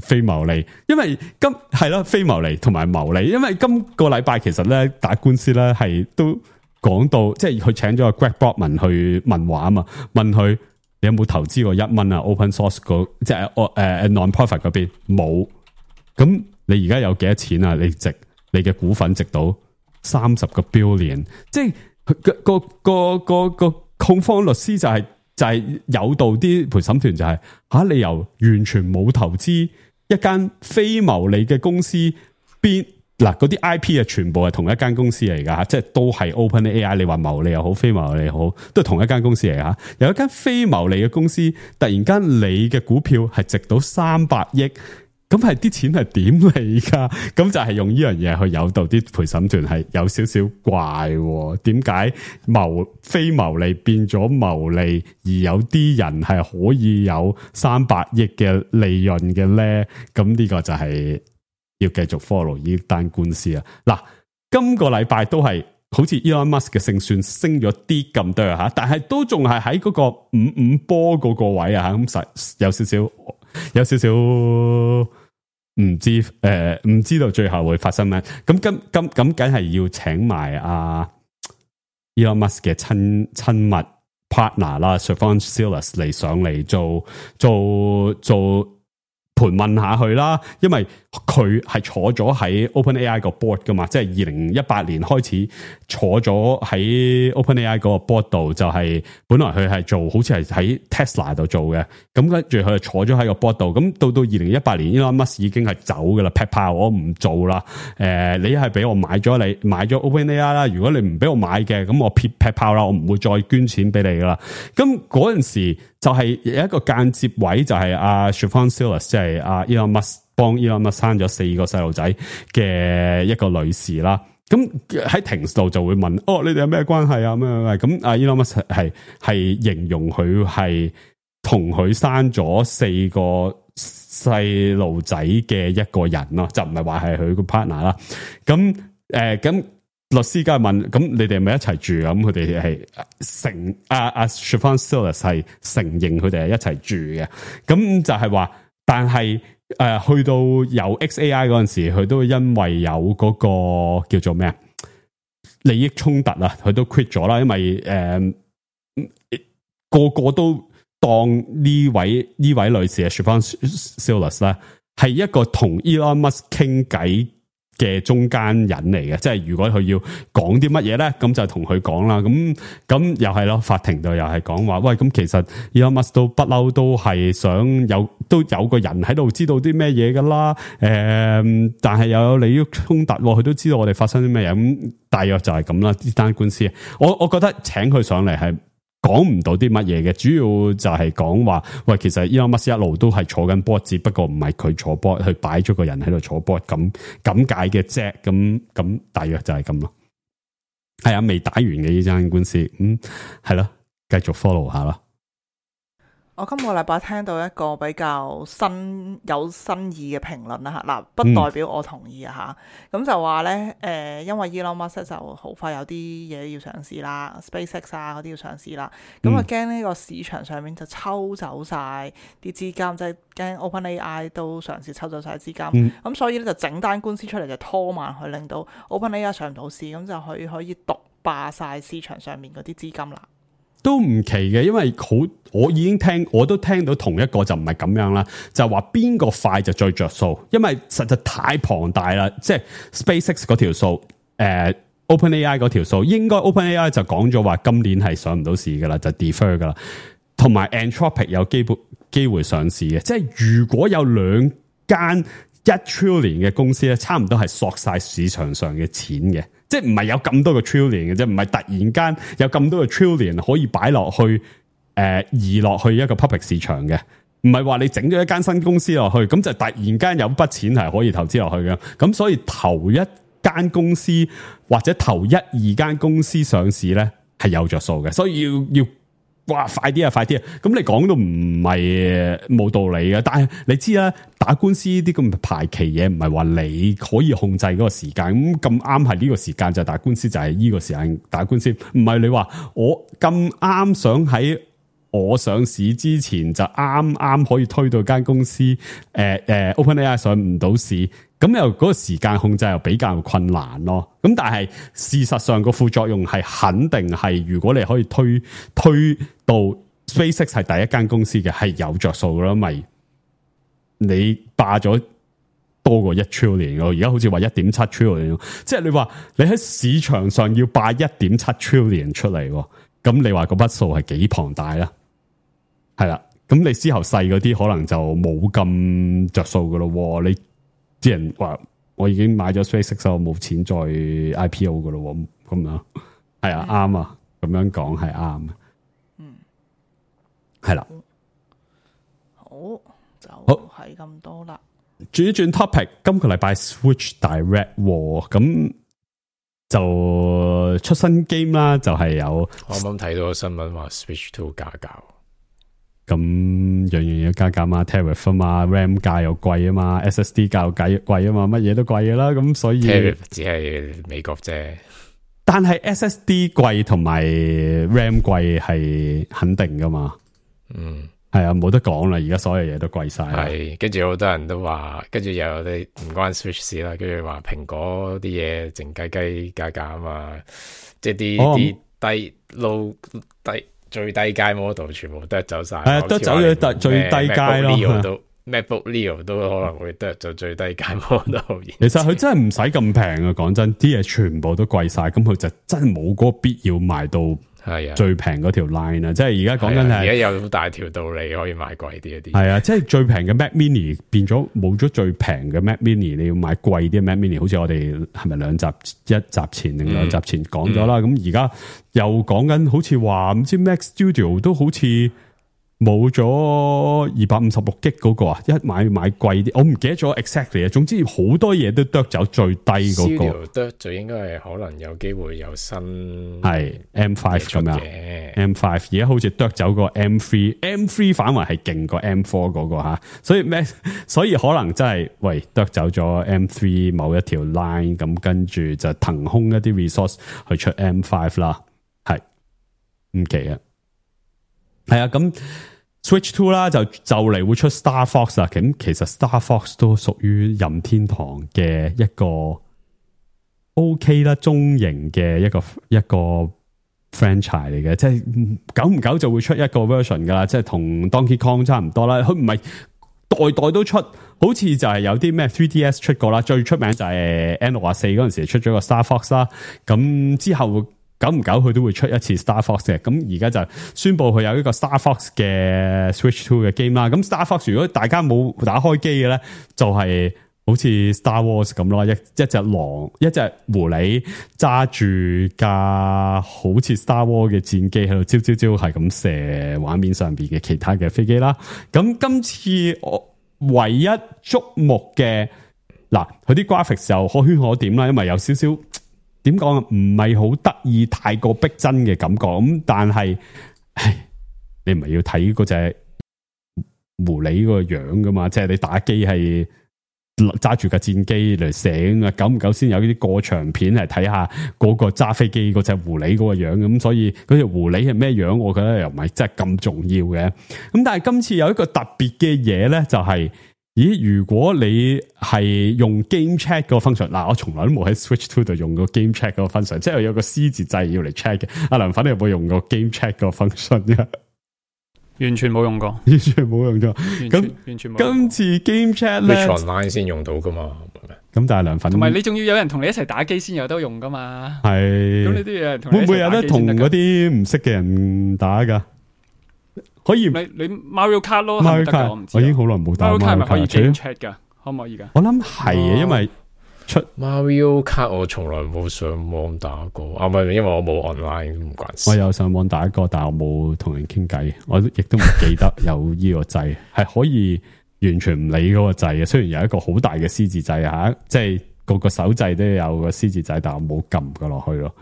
非牟利，因為係咯非牟利同埋牟利，因為今個禮拜其實咧打官司咧係都講到，即係佢請咗個 Greg Brockman 去問話啊嘛，問佢你有冇投資過1蚊啊 ？Open source 即係non-profit 嗰邊冇，咁你而家有幾多錢啊？你嘅股份值到30個 billion， 即係個控方律師就係誘導啲陪審團就係你由完全冇投資一間非牟利嘅公司邊嗱嗰啲 IP 啊，全部係同一間公司嚟噶，即係都係 OpenAI。你話牟利又好，非牟利又好，都係同一間公司嚟吓。有一間非牟利嘅公司，突然間你嘅股票係值到300億，咁係啲錢係點嚟噶？咁就係用呢樣嘢去誘導啲陪審團係有少少怪，點解非牟利變咗牟利，而有啲人係可以有300億嘅利潤嘅咧？咁呢個就係要繼續 follow 呢單官司啊！嗱，今個禮拜都係好似 Elon Musk 嘅勝算升咗啲咁多吓，但係都仲係喺嗰個55波嗰個位啊！咁實有少少唔知道最後會發生咩？咁梗係要請埋Elon Musk 嘅親密 partner 啦 Stephan Silas 嚟上嚟做盤問下佢啦，因為佢係坐咗喺 OpenAI 個 board 噶嘛，即係2018年開始坐咗喺 OpenAI 嗰個 board 度，就係本來佢係做好似係喺 Tesla 度做嘅，咁跟住佢就坐咗喺個 board 度，咁到2018年 Elon Musk 已經係走噶啦，劈炮我唔做啦，你係俾我買咗 OpenAI 啦，如果你唔俾我買嘅，咁我劈炮啦，我唔會再捐錢俾你噶啦，咁嗰陣時就係有一個間接位，就係Stephan Silas 即係Elon Musk 幫 Elon Musk 生咗4個細路仔嘅一個女士啦，咁喺庭度就會問，你哋有咩關係啊？咁Elon Musk 係形容佢係同佢生咗4個細路仔嘅一個人咯，就唔係話係佢個 partner 啦。咁律師梗係問，咁你哋係咪一齊住啊？咁佢哋係承Stephan Silas 係承認佢哋係一齊住嘅。咁就係話，但係去到有 XAI 嗰陣時，佢都因為有嗰個叫做咩利益衝突啊，佢都 quit 咗啦。因為個個都當呢位女士 Stephan Silas 咧係一個同 Elon Musk 傾偈嘅中間人嚟嘅，即係如果佢要講啲乜嘢咧，咁就同佢講啦。咁又係咯，法庭度又係講話，喂，咁其實 Elon Musk 都不嬲都係想都有個人喺度知道啲咩嘢噶啦。但係又有利益衝突，佢都知道我哋發生啲咩嘢。咁大約就係咁啦。呢單官司，我覺得請佢上嚟係講唔到啲乜嘢嘅，主要就係講話，喂，其實 Elon Musk 一路都係坐緊 board，只不過唔係佢坐 board，佢擺咗個人喺度坐 board，咁解嘅啫，咁大約就係咁咯。係啊，未打完嘅呢單官司，係咯，繼續 follow 下啦。我今個禮拜聽到一個比較有新意嘅評論啦，嗱，不代表我同意啊嚇。咁就話咧，因為 Elon Musk 就好快有啲嘢要上市啦 ，SpaceX 嗰啲要上市啦，咁啊驚呢個市場上面就抽走晒啲資金，即係驚 OpenAI 都嘗試抽走晒資金，咁所以咧就整單官司出嚟就拖慢佢，令到 OpenAI 上唔到市，咁就可以獨霸晒市場上面嗰啲資金啦。都唔奇嘅，因為我都聽到同一個就唔係咁樣啦，就話邊個快就最着數，因為實在太龐大啦，即係 SpaceX 嗰條數，OpenAI 嗰條數，應該 OpenAI 就講咗話今年係上唔到市噶啦，就 defer 噶啦，同埋 Anthropic 有機會上市嘅，即係如果有2間1 trillion 嘅公司咧，差唔多係索晒市場上嘅錢嘅。即係唔係有咁多個 trillion 嘅啫，唔係突然間有咁多個 trillion 可以擺落去，移落去一個 public 市場嘅，唔係話你整咗一間新公司落去，咁就突然間有筆錢係可以投資落去嘅。咁所以頭一間公司或者頭1、2間公司上市咧係有着數嘅，所以要哇快啲啊！咁你講到唔係冇道理嘅，但係你知啦，打官司啲咁嘅排期嘢唔係話你可以控制嗰個時間，咁啱係呢個時間就打官司，就係呢個時間打官司，唔係你話我咁啱想喺我上市之前就啱啱可以推到間公司，OpenAI 上唔到市，咁又嗰個時間控制又比較困難咯。咁但係事實上個副作用係肯定係，如果你可以推到 SpaceX 係第一間公司嘅，係有着數咯，咪你霸咗多過1 trillion 咯，而家好似話 1.7 trillion， 即係你話你喺市場上要霸 1.7 trillion 出嚟，咁你話嗰筆數係幾龐大啦？係啦，咁你之後細嗰啲可能就冇咁着數噶咯。你啲人話我已經買咗 SpaceX，我冇錢再 IPO 噶咯，咁樣係啊，啱啊，咁樣講係啱嘅。係啦，好就係咁多啦。轉一轉 topic， 今個禮拜 Switch Direct 咁就出新 game 啦，就係有我啱啱睇到個新聞話 Switch 2加價，咁樣樣要加價嘛 ，Tariff 啊嘛 ，RAM 價又貴啊嘛 ，SSD 價又貴啊嘛，乜嘢都貴噶啦，咁所以 Tariff 只係美國啫，但係 SSD 貴同埋 RAM 貴係肯定噶嘛，係啊，冇得講啦，而家所有嘢都貴晒。係，跟住好多人都話，跟住又有啲唔關 Switch 事啦，跟住話蘋果啲嘢靜雞雞加價啊嘛，即係啲低 low 低最低階 model 全部得走晒，得走咗最低階咯。MacBook Leo 都可能會得就最低階 model。其實佢真係唔使咁平啊，講真，啲嘢全部都貴晒，咁佢就真係冇嗰個必要賣到。係啊，最平嗰條 line 啊，即係而家講緊係，而家有好大條道理可以買貴啲一啲。係啊，即係最平嘅 Mac Mini 變咗冇咗最平嘅 Mac Mini，你要買貴啲 Mac Mini，好似我哋係咪一集前定2集前講咗啦？咁而家又講緊，好似話唔知 Mac Studio 都好似冇咗256G 嗰個啊，一買貴啲，我唔記得咗 exactly 啊。總之好多嘢都剁走最低嗰個，剁就應該係可能有機會有新係 M5 咁樣 ，M5 而家好似剁走個 M3 反為係勁過 M4 嗰個吓，所以可能真係喂剁走咗 M3 某一條 line， 咁跟住就騰空一啲 resource 去出 M5 啦，係唔奇啊。係啊，咁 Switch 2啦，就嚟會出 Star Fox 啦。咁其實 Star Fox 都屬於任天堂嘅一個 OK 啦，中型嘅一個 franchise 嚟嘅，即係久唔久就會出一個 version 噶啦，即係同 Donkey Kong 差唔多啦。佢唔係代代都出，好似就係有啲咩 3DS 出過啦，最出名就係 N64嗰陣時出咗個 Star Fox 啦。咁之後久唔久佢都會出一次 Star Fox 嘅，咁而家就宣布佢有一個 Star Fox 嘅 Switch 2嘅 game 啦。咁 Star Fox 如果大家冇打開機嘅咧，就係好似 Star Wars 咁咯，一隻狼，一隻狐狸揸住架好似 Star Wars 嘅戰機喺度招係咁射畫面上邊嘅其他嘅飛機啦。咁今次我唯一矚目嘅嗱，佢啲 graphics 就可圈可點啦，因為有少少。點講啊？唔係好得意，太過逼真嘅感覺咁，但係，你唔係要睇嗰隻狐狸個樣噶嘛？即係你打機係揸住架戰機嚟射啊，久唔久先有啲過場片嚟睇下嗰個揸飛機嗰隻狐狸嗰個樣咁，所以嗰隻狐狸係咩樣？我覺得又唔係真係咁重要嘅。咁但係今次有一個特別嘅嘢咧，就係。咦？如果你係用 Game Chat 嗰個 function， 嗱，我從來都冇喺 Switch 2度用過 Game Chat 嗰個 function， 即係有個 C 字掣要嚟 check 嘅。阿梁粉，你有冇用過 Game Chat 嗰個 function 嘅？完全冇用過，完全冇用過。咁完全冇。今次 Game Chat 咧 ，online 先用到噶嘛？咁但係梁粉，同埋你仲要有人同你一齊打機先有得用噶嘛？係。咁你都要會唔會有得同嗰啲唔識嘅人打噶？可以，你 Mario Kart 咯 ，Mario Kart 我唔知，我已經好耐冇打 Mario Kart 係咪可以 game 除 chat 噶？可唔可以噶？我諗係啊，因為出 Mario Kart 我從來冇上網打過，啊唔係，因為我冇 online 唔關事。我有上網打過，但係我冇同人傾偈，我亦都唔記得有呢個掣，係可以完全唔理嗰個掣嘅。雖然有一個好大嘅 C 字掣吓，即係個手掣都有個 C 字掣，但係我冇撳過落去咯。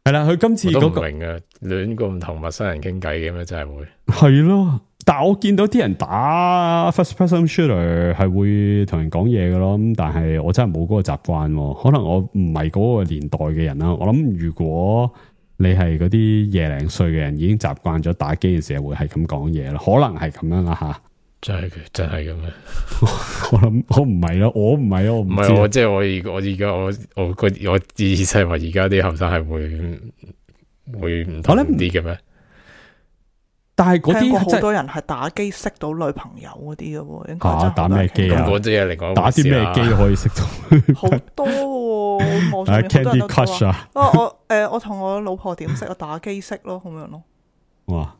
係啦，佢今次嗰個明啊，亂咁同陌生人傾偈嘅咩？真係會係咯，但係我見到啲人打 first person shooter 係會同人講嘢嘅咯，咁但係我真係冇嗰個習慣，可能我唔係嗰個年代嘅人啦。我諗如果你係嗰啲廿零歲嘅人，已經習慣咗打機嘅時候會係咁講嘢啦，可能係咁樣啦吓。真係咁樣。我諗我唔係咯，我唔係咯，我唔知啊。唔係我即係我而家我意思係話而家啲後生係會唔同啲嘅咩？但係嗰聽過啲好多人係打機識到女朋友嗰啲嘅喎，應該真係打咩機啊？咁嗰啲嘢嚟講，打啲咩機可以識到？好多喎，網上面好多人都 Candy Crush 啊！我同我老婆點識？我打機識咯，咁樣咯。哇！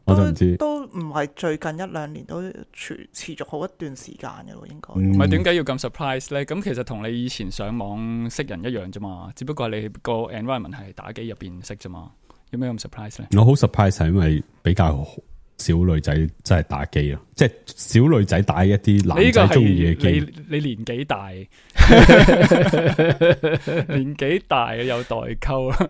我就唔知，都唔係最近一兩年，都持續好一段時間嘅咯，應該。唔係點解要咁 surprise 咧？咁其實同你以前上網識人一樣啫嘛，只不過你個 environment 係打機入邊識啫嘛，有咩咁 surprise 咧？我好 surprise 係因為比較少女仔真係打機咯，即係少女仔打一啲男仔中意嘅機。你年紀大，年紀大有代溝啊！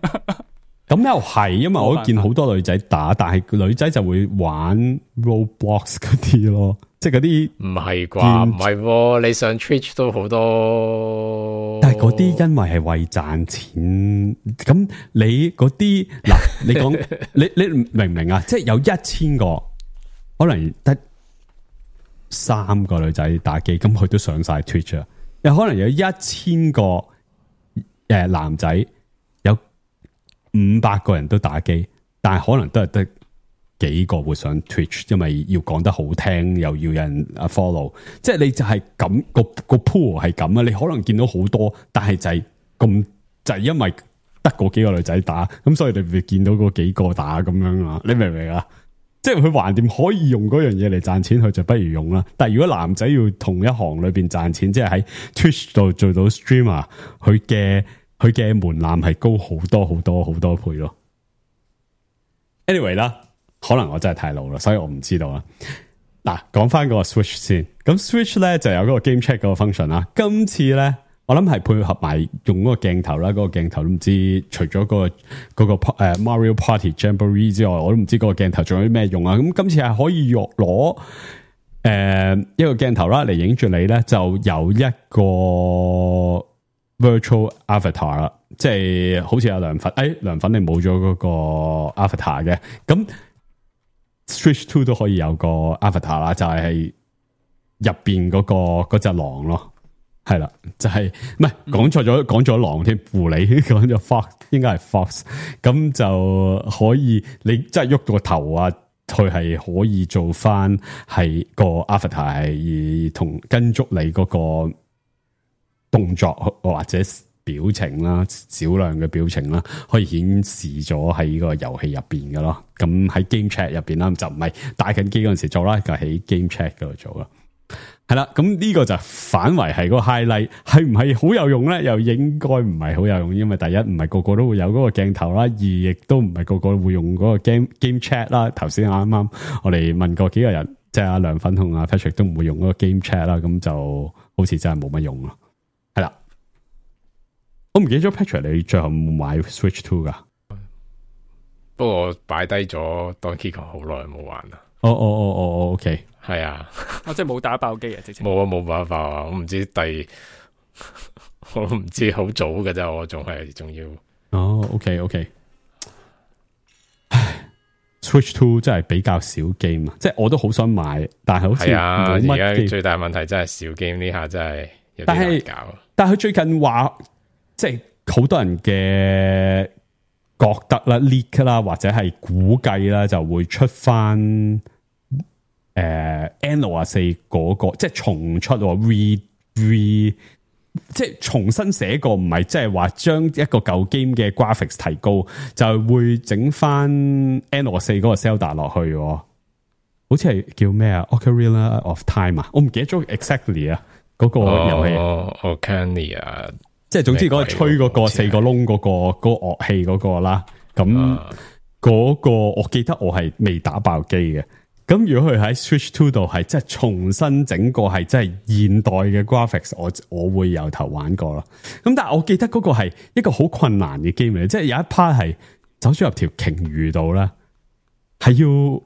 咁又係，因為我都見好多女仔打，但係女仔就會玩 Roblox 嗰啲咯，即係嗰啲唔係啩？唔係喎，你上 Twitch 都好多，但係嗰啲因為係為賺錢，咁你嗰啲嗱，你講你明唔明啊？即係有1000個，可能得3個女仔打機，咁佢都上晒 Twitch 啊，又可能有1000個男仔。500個人都打機，但係可能都係得幾個會上 Twitch，因為要講得好聽，又要有人 follow， 即係你就係咁個 pool 係咁啊！你可能見到好多，但係就係咁就係因為得嗰幾個女仔打，咁所以你會見到嗰幾個打咁樣啊？你明唔明啊？即係佢橫掂可以用嗰樣嘢嚟賺錢，佢就不如用啦。但係如果男仔要同一行裏邊賺錢，即係喺 Twitch 度做到 streamer，佢嘅門檻係高好多好多好多倍咯。Anyway 啦，可能我真係太老啦，所以我唔知道啦。嗱，講翻個 Switch 先，咁 Switch 咧就有嗰個 Game Chat 嗰個 function 啦。今次咧，我諗係配合埋用嗰個鏡頭啦，嗰、嗰個鏡頭都唔知除咗嗰個Mario Party Jamboree 之外，我都唔知嗰個鏡頭仲有啲咩用啊。咁今次係可以攞一個鏡頭啦嚟影住你咧，就有一個virtual avatar 啦，即係好似有涼粉，涼粉你冇咗嗰個 avatar 嘅，咁 Switch 2都可以有個 avatar 啦，就係入邊嗰隻狼咯，係啦，就係唔係講咗狼添，狐狸講咗 fox， 應該係 fox， 咁就可以你即係喐到個頭啊，佢係可以做翻係個 avatar 係同跟足你嗰個動作或者表情啦，少量嘅表情啦，可以顯示咗喺個遊戲入邊嘅咯。咁喺 Game Chat 入邊啦，就唔係打緊機嗰陣時做啦，就喺 Game Chat 嗰度做啦。係啦，咁呢個就反為係嗰個 highlight， 係唔係好有用咧？又應該唔係好有用，因為第一唔係個個都會有嗰個鏡頭啦，二亦都唔係個個會用嗰個 Game Chat 啦。頭先啱啱我哋問過幾個人，即係阿涼粉同阿 Patrick 都唔會用嗰個 Game Chat 啦，咁就好似真係冇乜用咯。係啦，我唔記得咗 Patrick 你最後冇買 Switch 2噶？不過我擺低咗 Donkey Kong 好耐冇玩啦。OK， 係啊，我即係冇打爆機啊，直情冇辦法啊！我唔知我唔知好早嘅啫，我仲要。OK。唉 ，Switch 2真係比較少 game 啊，即係我都好想買，但係好似冇乜。而家最大問題真係少 game，呢下真係有啲難搞。但係佢最近話，即係好多人嘅覺得啦 leak 啦，或者係估計啦，就會出翻N64嗰個，即係重出 re 即係重新寫過，唔係即係話將一個舊 game 嘅 graphics 提高，就會整翻 N64嗰個 Zelda 落去，好似係叫咩啊 Ocarina of Time 啊，我唔記得咗 exactly 啊嗰個遊戲。Ocarina， 即係總之嗰個吹嗰個4個窿嗰個樂器嗰個啦，咁嗰個我記得我係未打爆機嘅。咁如果佢喺 Switch 2度係即係重新整個係即係現代嘅 graphics， 我會由頭玩過咯。咁但係我記得嗰個係一個好困難嘅 game 嚟，即係有一 part 係走咗入條鯨魚度啦，係要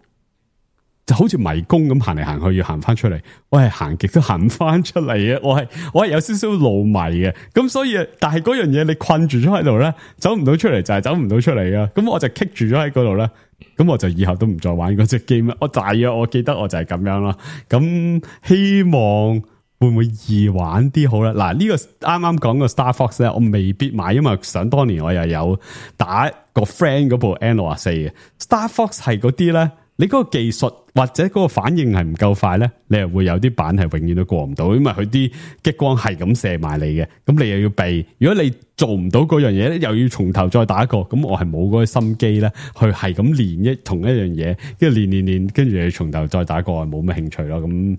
就好似迷宮咁行嚟行去，要行翻出嚟。我係行極都行唔翻出嚟嘅，我係有少少路迷嘅。咁所以，但係嗰樣嘢你困住咗喺度咧，走唔到出嚟就係走唔到出嚟嘅。咁我就棘住咗喺嗰度咧，咁我就以後都唔再玩嗰隻 game 啦。我大約我記得我就係咁樣啦。咁希望會唔會易玩啲好咧？嗱，呢個啱啱講個 Star Fox 咧，我未必買，因為想當年我又有打個 friend 嗰部 N64 嘅 Star Fox 係嗰啲咧。你嗰個技術或者嗰個反應係唔夠快咧，你係會有啲板係永遠都過唔到，因為佢啲激光係咁射埋你嘅，咁你又要避。如果你做唔到嗰樣嘢咧，又要從頭再打過，咁我係冇嗰個心機咧，去係咁練同一樣嘢，跟住練，跟住你從頭再打過，係冇咩興趣咯。咁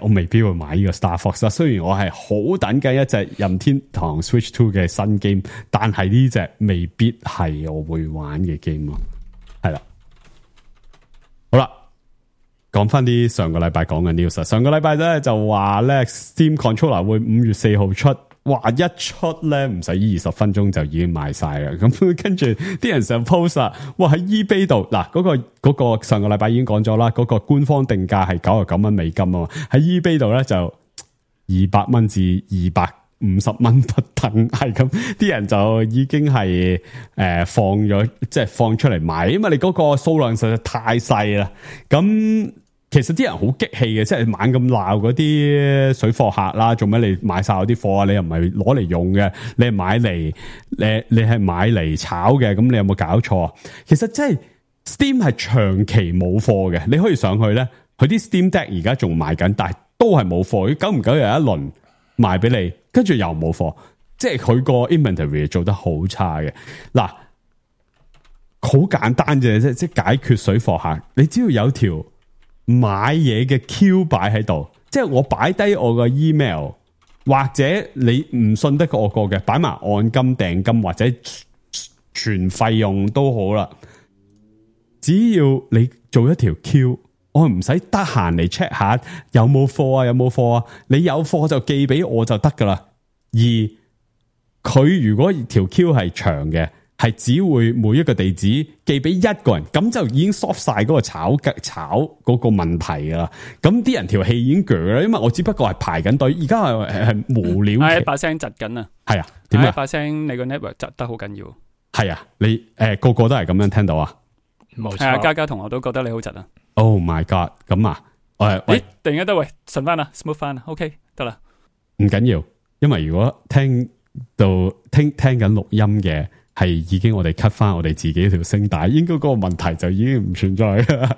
我未必會買呢個 Star Fox 啦。雖然我係好等緊一隻任天堂 Switch 2嘅新 game，但係呢隻未必係我會玩嘅 game 咯。係啦。好啦，講翻啲上個禮拜講嘅 news。上個禮拜咧就話咧 Steam Controller 會5月4號出，哇！一出咧唔使20分鐘就已經賣晒啦。咁跟住啲人上 post 啊，哇喺 eBay 度嗱，嗰個上個禮拜已經講咗啦，嗰個官方定價係99蚊美金啊嘛，喺 eBay 度咧就200蚊至250蚊不等，係咁，啲人就已經係放咗，即係放出嚟賣，因為你嗰個數量實在太細啦。咁其實啲人好激氣嘅，即係猛咁鬧嗰啲水貨客啦，做咩你買晒我啲貨啊？你又唔係攞嚟用嘅，你係買嚟你係買嚟炒嘅，咁你有冇搞錯？其實即係 Steam 係長期冇貨嘅，你可以上去咧，佢啲 Steam Deck 而家仲賣緊，但係都係冇貨，久唔久有一輪賣俾你，跟住又冇貨，即係佢個 inventory 做得好差嘅。嗱，好簡單啫，即係解決水貨客，你只要有條買嘢嘅 queue 擺喺度，即係我擺低我個 email，或者你唔信得過我個嘅，擺埋按金訂金或者全費用都好啦。只要你做一條 queue，我唔使得閒嚟 check 下有冇貨啊，有冇貨啊？你有貨就寄俾我就得噶啦。而佢如果條 queue 係長嘅，係只會每一個地址寄俾一個人，咁就已經 soft 晒嗰個炒嗰個問題噶啦。咁啲人條氣已經鋸啦，因為我只不過係排緊隊，而家係無聊。係把聲窒緊啊！係啊，點啊？把聲你個 network 窒得好緊要。係啊，你個個都係咁樣聽到啊？冇錯。係啊，嘉嘉同學都覺得你好窒啊。Oh my god！ 咁啊，喂，突然間得喂順翻啦 ，smooth 翻啦 ，OK 得啦。唔緊要，因為如果聽緊錄音嘅係已經我哋 cut 翻我哋自己條聲帶，應該嗰個問題就已經唔存在啦。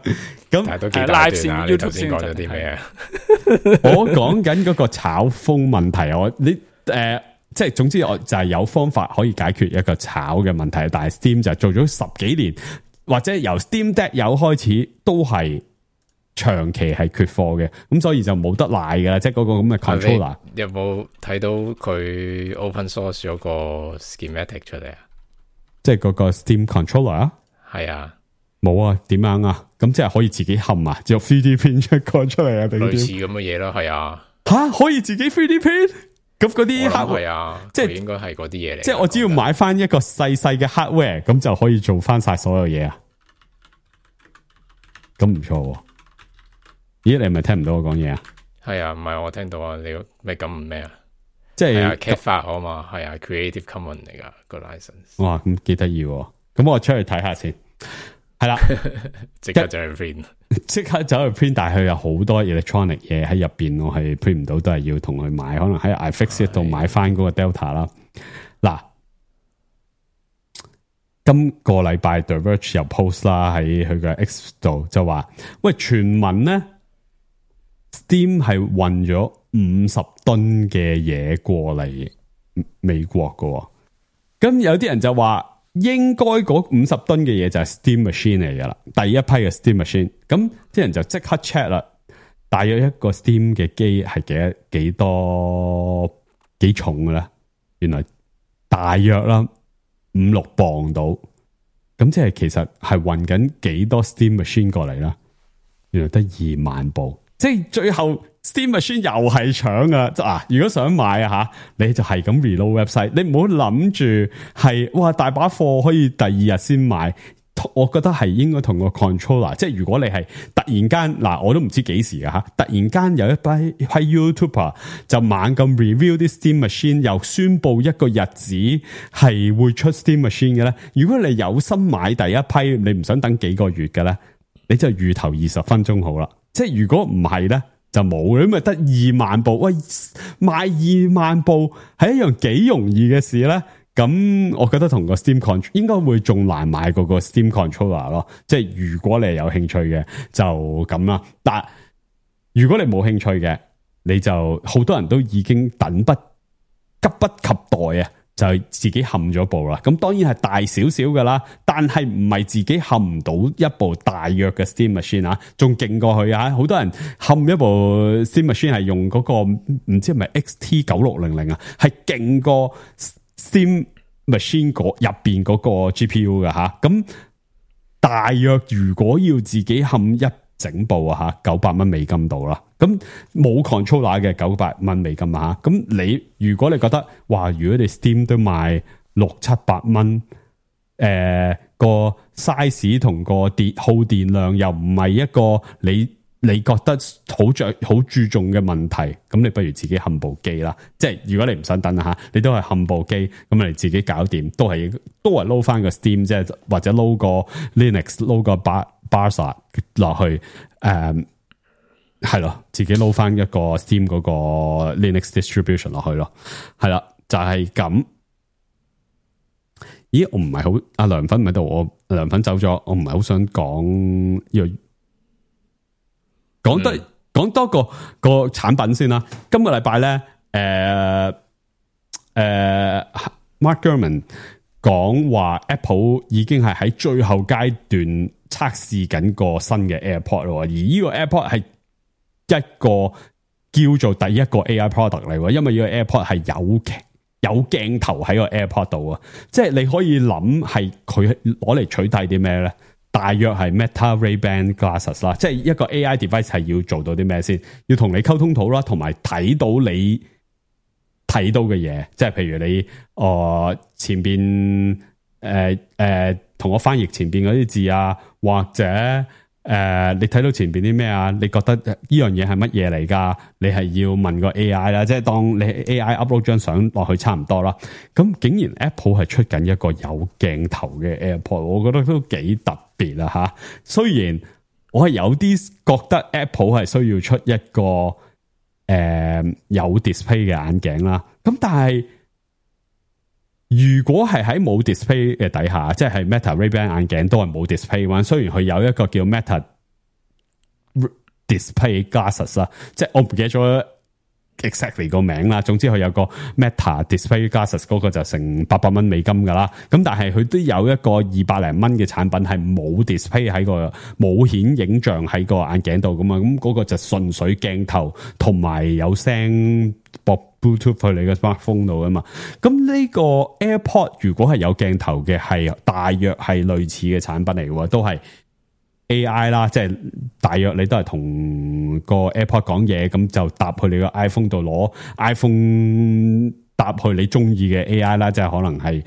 咁但係都幾大段啊！你頭先講咗啲咩啊？我講緊嗰個炒風問題，即係總之我就係有方法可以解決一個炒嘅問題，但係 Steam 就做咗10幾年。或者由 Steam Deck 有開始都係長期係缺貨嘅，咁所以就冇得賴㗎啦。即係嗰個咁嘅 controller。有冇睇到佢 open source 咗個 schematic 出嚟啊？即係嗰個 Steam controller 啊？係啊，冇啊？點樣啊？咁即係可以自己冚啊？就 3D print 出個出嚟啊？定類似咁嘅嘢咯，係啊。吓，可以自己 3D print？咁嗰啲 hardware 啊，即係應該係嗰啲嘢嚟。即係我只要買翻一個細細嘅 hardware，咁就可以做翻晒所有嘢啊！咁唔錯。咦，你係咪聽唔到我講嘢啊？係啊，唔係我聽到啊，你咩咁咩啊？即係 cat 法啊嘛，係啊 ，Creative Commons 嚟噶個 license。哇，咁幾得意喎！咁我出去睇下先。係啦，即刻走去 print，即刻走去 print，但係佢有好多 electronic 嘢喺入邊，我係 print 唔到，都係要同佢買，可能喺 iFixit 度買翻嗰個 Delta 啦。嗱，今個禮拜 The Verge 又 post 啦，喺佢嘅 X 度就話，喂，傳聞咧 Steam 係運咗50噸嘅嘢過嚟美國噶，咁有啲人就話。應該嗰50噸嘅嘢就係 Steam Machine 嚟噶啦，第一批嘅 Steam Machine，咁啲人就即刻 check 啦，大約一個 Steam 嘅機係幾重嘅咧？原來大約啦5-6磅到，咁即係其實係運緊幾多 Steam Machine 過嚟啦？原來得2萬部，即係最後。Steam Machine 又係搶啊！如果想買啊吓，你就係咁 reload website，你唔好諗住係哇大把貨可以第二日先買，我覺得係應該同個 controller， 即係如果你係突然間嗱，我都唔知幾時啊吓，突然間有一批 YouTuber 就猛咁 review 啲 Steam Machine， 又宣布一個日子係會出 Steam Machine 嘅咧。如果你有心買第一批，你唔想等幾個月嘅咧，你就預投20分鐘好啦。即係如果唔係咧，就冇，因為得2萬部。喂，賣2萬部係一樣幾容易嘅事咧。咁我覺得同個 Steam Controller 應該會仲難買過個 Steam Controller 咯。即係如果你係有興趣嘅就咁啦。但如果你冇興趣嘅，你就好多人都已經急不及待啊，就自己冚咗部啦。咁當然係大少少噶啦，但係唔係自己冚唔到一部大約嘅 Steam Machine 啊，仲勁過去啊！好多人冚一部 Steam Machine 係用嗰個唔知係咪 XT9600啊，係勁過 Steam Machine 入邊嗰個 GPU 嘅吓。咁大約如果要自己冚一整部啊吓，900蚊美金到啦。咁冇 controller 嘅900蚊美金啊吓。咁如果你覺得哇，如果你 Steam 都賣600-700蚊，個 size 同個耗電量又唔係一個你覺得好注重嘅問題，咁你不如自己冚部機啦。即係如果你唔想等吓，你都係冚部機，咁你自己搞掂，都係撈翻個 Steam 即係或者撈個 Linux 撈個 Barsa 落去，係咯，自己撈翻一個 Steam 嗰個 Linux distribution 落去咯，係啦，就係咁。咦，我唔係好，阿梁粉唔喺度，我梁粉走咗，我唔係好想講呢個。講多個產品先啦。今個禮拜咧，Mark Gurman 講話 Apple 已經係喺最後階段測試緊個新嘅 AirPod 咯，而呢個 AirPod 係一個叫做第一個 AI product 嚟喎，因為呢個 AirPod 係有鏡頭喺個 AirPod 度啊，即係你可以諗係佢攞嚟取締啲咩咧？大約係 Meta Ray-Ban Glasses 啦，即係一個 AI device 係要做到啲咩先？要同你溝通到啦，同埋睇到你睇到嘅嘢，即係譬如你前邊同我翻譯前邊嗰啲字啊，或者你睇到前邊啲咩啊？你覺得呢樣嘢係乜嘢嚟㗎？你係要問個 AI 啦，即係當你 AI upload 張相落去差唔多啦。咁竟然 Apple 係出緊一個有鏡頭嘅 AirPod， 我覺得都幾特別啊吓。雖然我係有啲覺得 Apple 係需要出一個有 display 嘅眼鏡啦，咁但係如果係喺冇 display 嘅底下，即係 Meta Ray-Ban 眼鏡都係冇 display 嘅，雖然佢有一個叫 Meta Display Glasses 啦，即係我唔記得咗 exactly 個名啦。總之佢有個 Meta Display Glasses 嗰個就成800蚊美金噶啦。咁但係佢都有一個200零蚊嘅產品係冇 display 喺個冇顯影像喺個眼鏡度噶嘛。咁嗰個就純粹鏡頭同埋有聲播 Bluetooth 去你嘅 smartphone 度啊嘛。咁呢個 AirPod 如果係有鏡頭嘅，係大約係類似嘅產品嚟嘅，都係 AI 啦，即係大約你都係同個 AirPod 講嘢，咁就搭去你個 iPhone 度攞 iPhone 搭去你中意嘅 AI 啦，即係可能係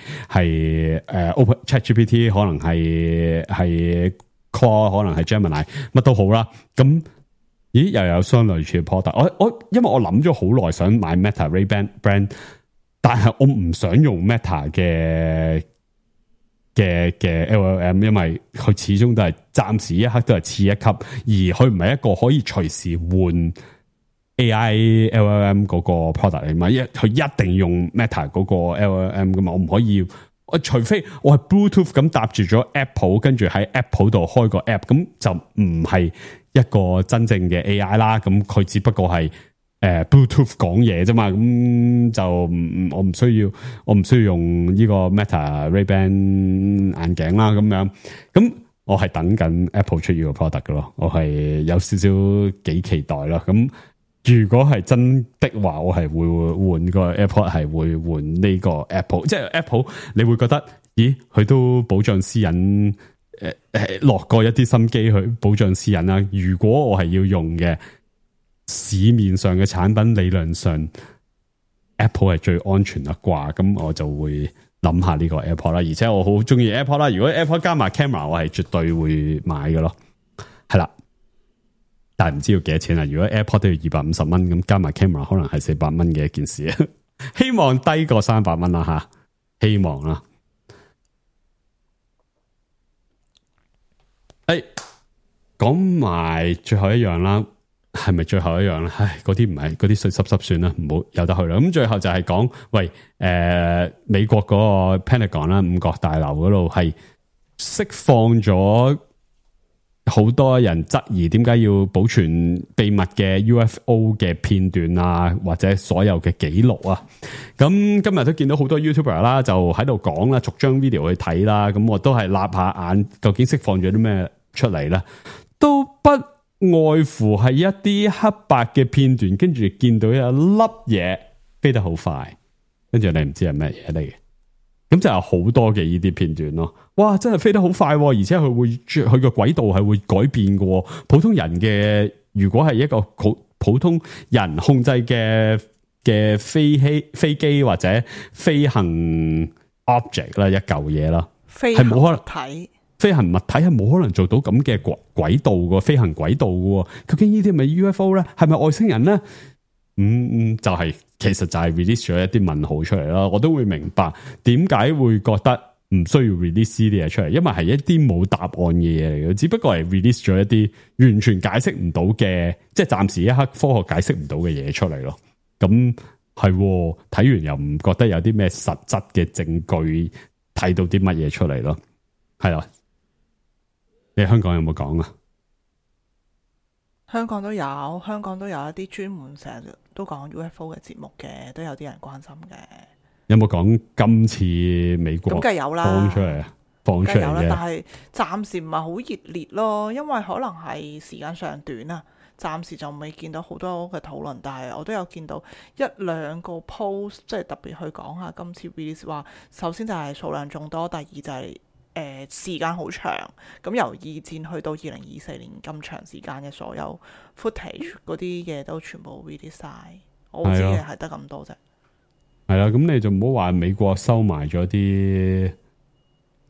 Open ChatGPT， 可能係 Claude， 可能係 Gemini， 乜都好啦。咁咦又有相類似嘅 product， 因為我諗咗好耐想買 Meta Ray-Ban brand， 但係我唔想用 Meta 嘅 LLM， 因為佢始終都係暫時一刻都係次一級，而佢唔係一個可以隨時換 AI LLM 嗰個 product 嚟嘛，佢一定用 Meta 嗰個 LLM 噶嘛，我唔可以，除非我係 Bluetooth 咁搭住咗 Apple， 跟住喺 Apple 度開個 app， 咁就唔係一個真正嘅 AI 啦，咁佢只不過係Bluetooth 講嘢啫嘛，咁就我唔需要用呢個 Meta Ray-Ban 眼鏡啦，咁樣，咁我係等緊 Apple 出呢個 product 嘅咯，我係有少少幾期待咯。咁如果係真的話，我係會換個 AirPod， 係會換呢個 Apple， 即係 Apple 你會覺得，咦，佢都保障私隱，落過一啲心機去保障私隱啦。如果我係要用嘅，市面上嘅產品理論上 Apple 係最安全啦啩，咁我就會諗下呢個 AirPod 啦，而且我好中意 AirPod 啦。如果 AirPod 加埋 camera， 我係絕對會買嘅咯。係啦，但係唔知要幾多錢啊？如果 AirPod 都要250蚊，咁加埋 camera 可能係400蚊嘅一件事。希望低過300蚊啦吓，希望啦。講埋最後一樣啦，係咪最後一樣咧？唉，嗰啲唔係，嗰啲水濕濕算啦，唔好由得去啦。咁最後就係講，喂，美國嗰個 Pentagon 啦，五角大樓嗰度係釋放咗好多人質疑點解要保存秘密嘅 UFO 嘅片段啊，或者所有嘅記錄啊。咁今日都見到好多 YouTuber 啦，就喺度講啦，逐張 video 去睇啦。咁我都係立下眼，究竟釋放咗啲咩出嚟咧？都不外乎係一啲黑白嘅片段，跟住見到有一粒嘢飛得好快，跟住你唔知係咩嘢嚟嘅。咁就有好多嘅呢啲片段咯。哇，真係飛得好快，而且佢個軌道係會改變嘅。普通人嘅，如果係一個普通人控制嘅飛機或者飛行 object 啦，一嚿嘢啦，係冇可能睇。飛行物體係冇可能做到咁嘅軌道嘅飛行軌道嘅，究竟呢啲係咪 UFO 咧？係咪外星人咧？就係其實就係 release 咗一啲問號出嚟啦。我都會明白點解會覺得唔需要 release 呢啲嘢出嚟，因為係一啲冇答案嘅嘢嚟嘅，只不過係 release 咗一啲完全解釋唔到嘅，即係暫時一刻科學解釋唔到嘅嘢出嚟咯。咁係睇完又唔覺得有啲咩實質嘅證據睇到啲乜嘢出嚟咯？係啦。你香港有冇講啊？香港都有一啲專門成日都講 UFO 嘅節目嘅，都有啲人關心嘅。有冇講今次美國咁梗係有啦，放出嚟嘅？但係暫時唔係好熱烈咯，因為可能係時間上短啊，暫時就未見到好多嘅討論。但係我都有見到一兩個 post， 即係特別去講下今次 release 話，首先就係數量眾多，第二就係時間好長，咁由二戰去到2024年咁長時間嘅所有 footage 嗰啲嘢都全部 release 晒，我知嘅係得咁多啫。係啦，咁你就唔好話美國收埋咗啲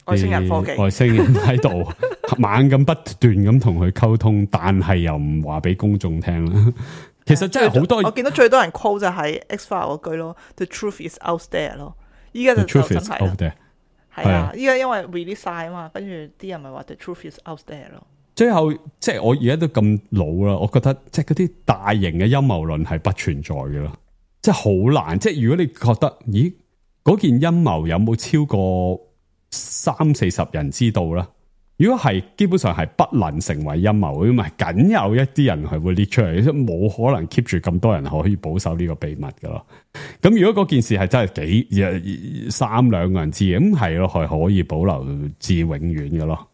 外星人科技，外星人喺度猛咁不斷咁同佢溝通，但係又唔話俾公眾聽啦。其實真係好多，我見到最多人 quote 就係 X-File 嗰句咯 ，The truth is out there 咯。依家就真係係啊，依家因為 release 晒啊嘛，跟住啲人咪話 The truth is out there 咯。最後即係我而家都咁老啦，我覺得即係嗰啲大型嘅陰謀論係不存在嘅咯，即係好難。即係如果你覺得咦嗰件陰謀有冇超過30-40人知道啦？如果係，基本上係不能成為陰謀，因為僅有一啲人係會列出嚟，即係冇可能 keep 住咁多人可以保守呢個秘密噶咯。咁如果嗰件事係真係3-2個人知嘅，咁係咯，係可以保留至永遠嘅咯。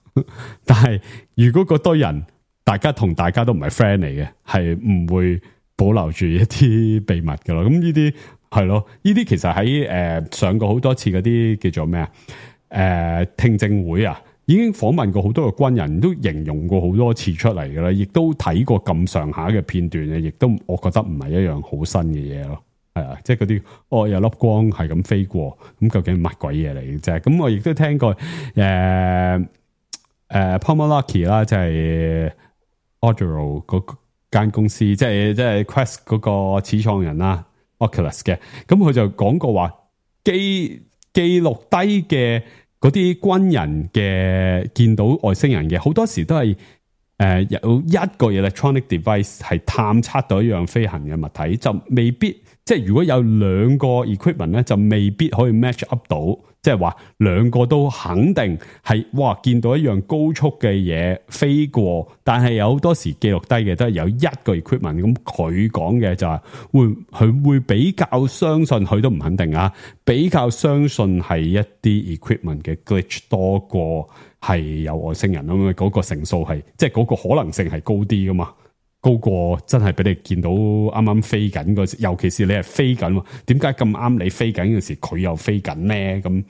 但係如果嗰堆人大家同大家都唔係 friend 嚟嘅，係唔會保留住一啲秘密噶咯。咁呢啲係咯，呢啲其實喺上過好多次嗰啲叫做咩啊？聽證會啊。已經訪問過好多個軍人，都形容過好多次出嚟嘅啦，亦都睇過咁上下嘅片段嘅，亦都我覺得唔係一樣好新嘅嘢咯。係啊，即係嗰啲有粒光係咁飛過，咁究竟乜鬼嘢嚟嘅啫？咁我亦都聽過Palmer Luckey 啦，即係 Audio 嗰間公司，即係 Quest 嗰個始創人啦 ，Oculus 嘅，咁佢就講過話記錄低嘅。嗰啲軍人嘅見到外星人嘅，好多時都係有一個 electronic device 係探測到一樣飛行嘅物體，就未必即係如果有兩個 equipment 咧，就未必可以 match up 到，即係話兩個都肯定係哇見到一樣高速嘅嘢飛過，但係有好多時記錄低嘅都係有一個 equipment， 咁佢講嘅就係佢會比較相信，佢都唔肯定啊，比較相信係一啲 equipment 嘅 glitch 多過係有外星人啊嘛，嗰個成數係即係嗰個可能性係高啲噶嘛。高過真係俾你見到啱啱飛緊嗰時，尤其是你係飛緊，點解咁啱你飛緊嘅時佢又飛緊咧？咁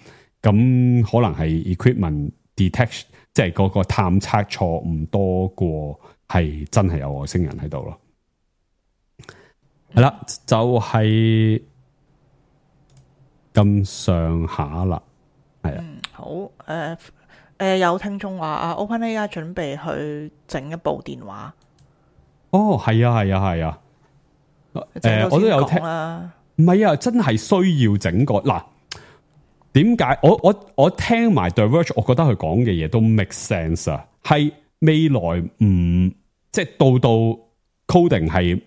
可能係 equipment detection， 即係嗰個探測錯誤多過係真係有外星人喺度咯。係啦，就係咁上下啦。係啊，好有聽眾話OpenAI 準備去整一部電話，哦，係啊，我都有聽啦。唔係啊，真係需要整個嗱。點解我聽埋 The Verge， 我覺得佢講嘅嘢都 make sense 啊。係未來唔即係到 coding 係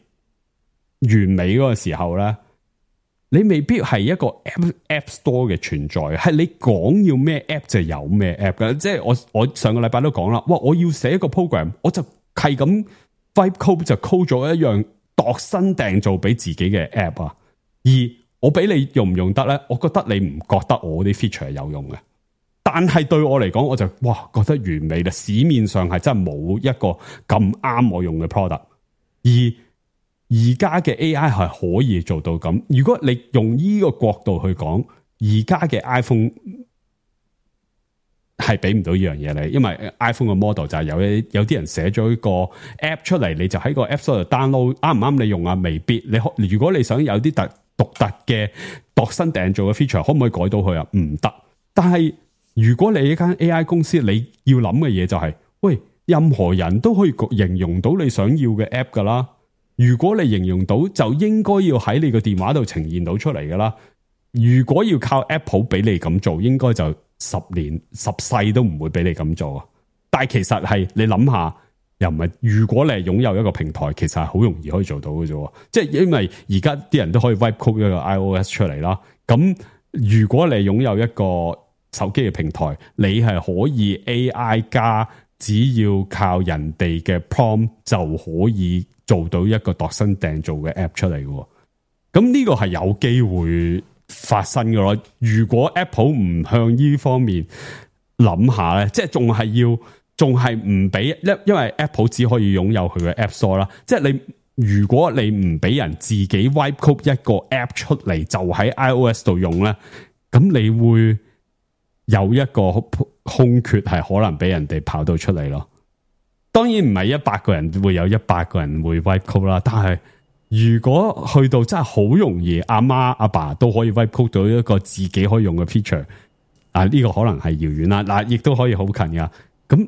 完美嗰個時候咧，你未必係一個 app store 嘅存在，係你講要咩 app 就有咩 app 嘅。即係我上個禮拜都講啦，哇！我要寫一個 program， 我就係咁 vibe code 就 code 咗一樣度身訂造俾自己嘅 app 啊，而我俾你用唔用得咧？我覺得你唔覺得我啲 feature 係有用嘅，但係對我嚟講，我就哇覺得完美啦！市面上係真係冇一個咁啱我用嘅 product， 而家嘅 AI 係可以做到咁。如果你用呢個角度去講，而家嘅 iPhone 係俾唔到呢樣嘢你，因為 iPhone 嘅 model 就係有啲人寫咗一個 app 出嚟，你就喺個 app store 度 download， 啱唔啱你用啊？未必。如果你想有啲獨特嘅度身訂造嘅 feature， 可唔可以改到佢啊？唔得。但係如果你一間 AI 公司，你要諗嘅嘢就係，喂，任何人都可以形容到你想要嘅 app 噶啦。如果你形容到，就應該要喺你個電話度呈現到出嚟噶啦。如果要靠 Apple 俾你咁做，應該就10年10世都唔會俾你咁做啊。但係其實係你諗下。又唔係，如果你係擁有一個平台，其實係好容易可以做到嘅啫。即係因為而家啲人都可以 wipe code 一個 iOS 出嚟啦。咁如果你擁有一個手機嘅平台，你係可以 AI 加，只要靠人哋嘅 prompt 就可以做到一個度身訂造嘅 app 出嚟嘅。咁呢個係有機會發生嘅咯。如果 Apple 唔向呢方面諗下咧，即係仲係唔俾，因為 Apple 只可以擁有佢嘅 App Store 啦。即係如果你唔俾人自己 wipe code 一個 app 出嚟，就喺 iOS 度用咧，咁你會有一個空缺，係可能俾人哋跑到出嚟咯。當然唔係100個人會有100個人會 wipe code 啦，但係如果去到真係好容易，阿媽阿爸都可以 wipe code 到一個自己可以用嘅 feature， 呢個可能係遙遠啦。嗱，亦都可以好近噶。咁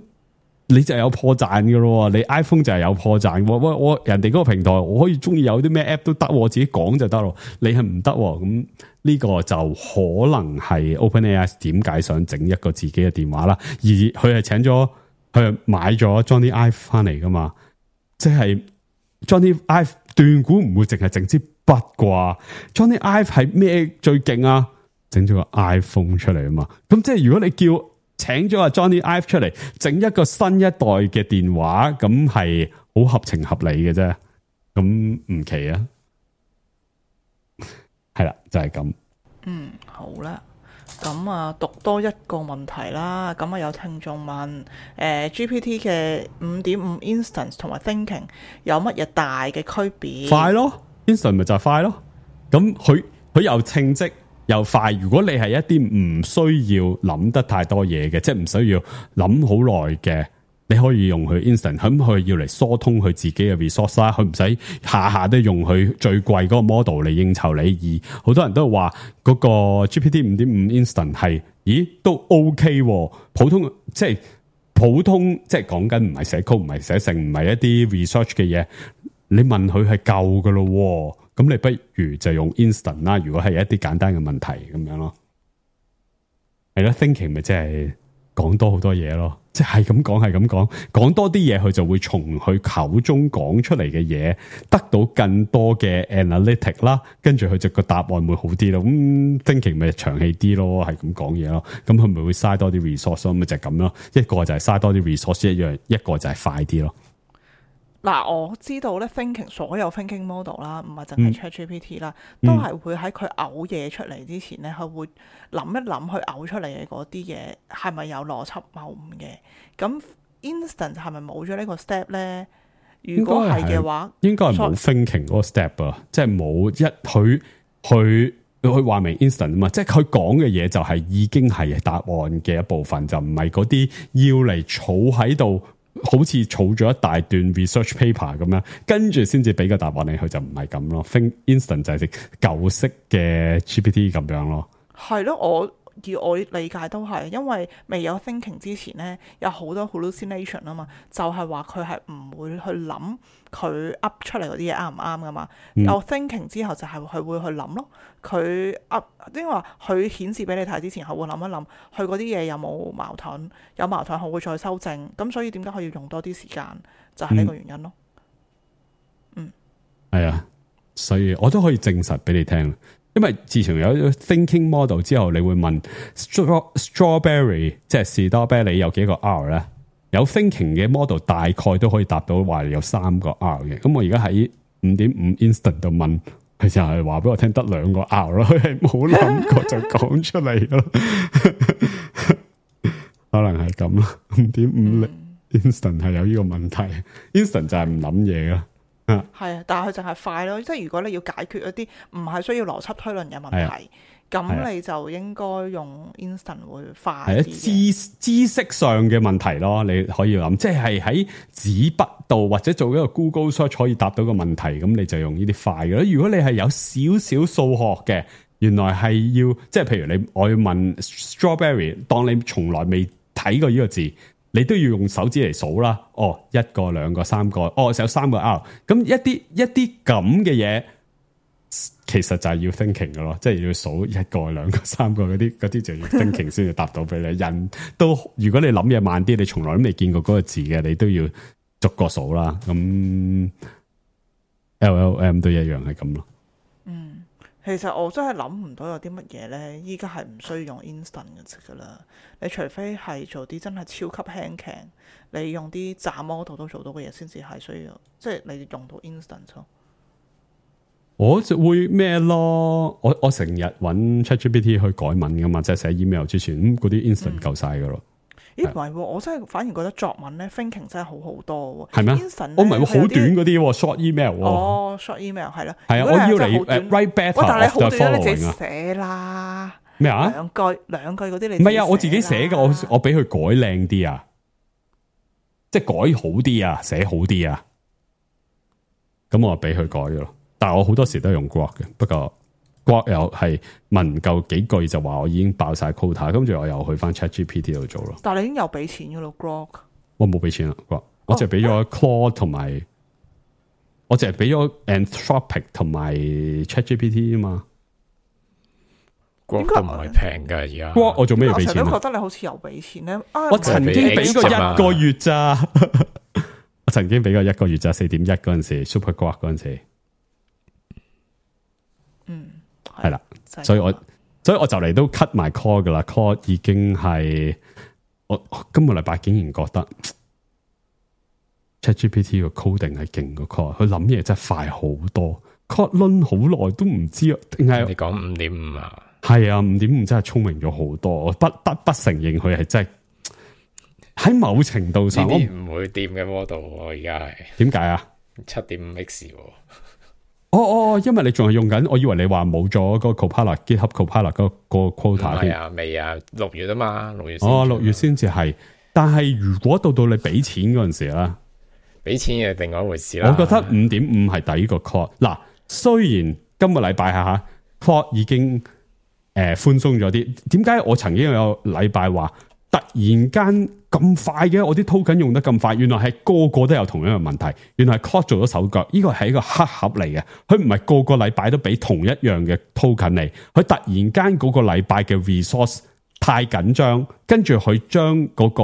你就有破綻噶咯，你 iPhone 就係有破綻。我人哋嗰個平台，我可以中意有啲咩 app 都得，我自己講就得咯。你係唔得，咁呢個就可能係 OpenAI 點解想整一個自己嘅電話啦。而佢係佢買咗 Johnny Ive 翻嚟噶嘛，即係 Johnny Ive 斷估唔會淨係整支筆啩。Johnny Ive 係咩最勁啊？整咗個 iPhone 出嚟啊嘛。咁即係如果你叫請咗阿 Johnny Ive 出嚟整一個新一代嘅電話，咁係好合情合理嘅啫，咁唔奇啊，係啦，就係咁。好啦，咁讀多一個問題啦。咁有聽眾問GPT 嘅 5.5 instance 同埋 thinking 有乜嘢大嘅區別？快咯 ，instant 咪就係快咯。咁佢又稱職又快。如果你係一啲唔需要諗得太多嘢嘅，即係唔需要諗好耐嘅，你可以用佢 instant。咁佢要嚟疏通佢自己嘅 resource 啦，佢唔使下下都用佢最貴嗰個 model 嚟應酬你。而好多人都話嗰個 GPT 5.5 instant 係，咦都 OK 喎。普通即係講緊唔係寫 code，唔係寫成，唔係一啲 research 嘅嘢，你問佢係夠噶咯。咁你不如就用 instant 啦。如果係一啲簡單嘅問題咁樣咯，係咯 thinking 咪即係講多好多嘢咯，即係咁講，講多啲嘢，佢就會從佢口中講出嚟嘅嘢得到更多嘅 analytic 啦，跟住佢就個答案會好啲咯。咁 thinking 咪長氣啲咯，係咁講嘢咯。咁佢咪會嘥多啲 resource 咯，咪就係咁咯。一個就係嘥多啲 resource 一樣，一個就係快啲咯。嗱，我知道咧 thinking 所有 thinking model 啦，唔係淨係 ChatGPT 啦，都係會喺佢嘔嘢出嚟之前咧，佢會諗一諗佢嘔出嚟嘅嗰啲嘢係咪有邏輯謬誤嘅。咁 instant 係咪冇咗呢個 step 咧？如果係嘅話，應該係冇 thinking 嗰個 step 啊，即係冇佢話明 instant 啊嘛，即係佢講嘅嘢就係已經係答案嘅一部分，就唔係嗰啲要嚟儲喺度。好似儲咗一大段 research paper 咁樣，跟住先至俾個答案你，佢就唔係咁咯。Think instant 就係舊式嘅 GPT 咁樣咯。係咯，以我理解都係，因為未有 thinking 之前咧，有好多 hallucination 啊嘛，就係話佢係唔會去諗佢 up 出嚟嗰啲嘢啱唔啱噶嘛。有 thinking 之後就係佢會去諗咯，佢 up 即係話佢顯示俾你睇之前，佢會諗一諗佢嗰啲嘢有冇矛盾，有矛盾佢會再修正。咁所以點解佢要用多啲時間，就係呢個原因咯。係啊，所以我都可以證實俾你聽。因為自從有 thinking model 之後，你會問 strawberry 即係士多啤梨有幾個 R 咧？有 thinking 嘅 model 大概都可以答到話有3個 R 嘅。咁我而家喺 5.5 instant 度問，佢就係話俾我聽得2個 R 咯，佢係冇諗過就講出嚟咯。可能係咁咯。5.5 instant 係有呢個問題 ，instant 就係唔諗嘢啦。係啊，但係佢淨係快咯，即係如果你要解決一啲唔係需要邏輯推論嘅問題，咁你就應該用 instant 會快啲嘅。知識上嘅問題咯，你可以諗，即係喺紙筆度或者做一個 Google search 可以答到個問題，咁你就用呢啲快嘅。如果你係有少少數學嘅，原來係要即係譬如我要問 strawberry， 當你從來未睇過呢個字。你都要用手指嚟數啦，哦，1個、2個、3個，哦，有3個 R， 咁一啲咁嘅嘢，其實就係要 thinking 嘅咯，即係要數1個、2個、3個嗰啲就要 thinking 先至答到俾你。人都如果你諗嘢慢啲，你從來都未見過嗰個字嘅，你都要逐個數啦。咁 LLM 都一樣係咁咯。其實我真係諗唔到有啲乜嘢咧，依家係唔需要用 instant 嘅啦。你除非係做啲真係超級輕騎，你用啲渣 model 都做到嘅嘢，先至係需要，即係你用到 instant 咯。我就會咩咯？我成日揾 ChatGPT 去改文噶嘛，即係寫 email 之前，嗰啲 instant 夠晒噶咯。咦，唔係喎，我真係反而覺得作文咧 thinking 真係好好多喎。係咩？我唔係喎，好短嗰啲 short email 喎。哦，short email 係咯。係啊，我要你 write better，但係你好短，你自己啊。寫啦。咩啊？兩句嗰啲你唔係啊，我自己寫嘅，我俾佢改靚啲啊，即係改好啲啊，寫好啲啊。咁我俾佢改咗咯。但係我好多時都係用 Grok 嘅，不過。Grok 又係問夠幾句就話我已經爆晒 quota， 跟住我又去翻 ChatGPT 度做咯。但係你已經有俾錢噶咯 Grok？ 我冇俾錢啦 Grok， 我淨係俾咗 Claude 同埋，我淨係俾咗 Anthropic 同埋 ChatGPT 啊嘛。Grok 都唔係平噶而家。Grok 我做咩要俾錢？我覺得你好似有俾錢咧。我曾經俾過1個月咋，我曾經俾過1個月咋，4.1嗰陣時 Super Grok 嗰陣時。係啦，所以我就嚟都 cut 埋 call 噶啦 ，call 已經係我今個禮拜竟然覺得 ChatGPT 個 coding 係勁過 call， 佢諗嘢真係快好多 ，call 輪好耐都唔知啊，定係你講5.5啊？係啊，5.5真係聰明咗好多，我不承認佢係真係喺某程度上我唔會掂嘅 model， 我而家係點解啊？7.5x。因為你仲係用緊，我以為你話冇咗個 Copilot GitHub Copilot 嗰個 quota 係啊，未啊，6月啊嘛，6月。6月先至係。但係如果到你俾錢嗰陣時啦，俾錢嘅另外一回事啦。我覺得 5.5 係抵個 Claude。嗱，雖然今個禮拜下 Claude 已經寬鬆咗啲，點解我曾經有禮拜話突然間咁快嘅？我啲 token 用得咁快，原來係個個都有同樣嘅問題。原來係 Claude 做咗手腳，呢個係一個黑盒嚟嘅。佢唔係個個禮拜都俾同一樣嘅 token 嚟，佢突然間嗰個禮拜嘅 resource 太緊張，跟住佢將嗰個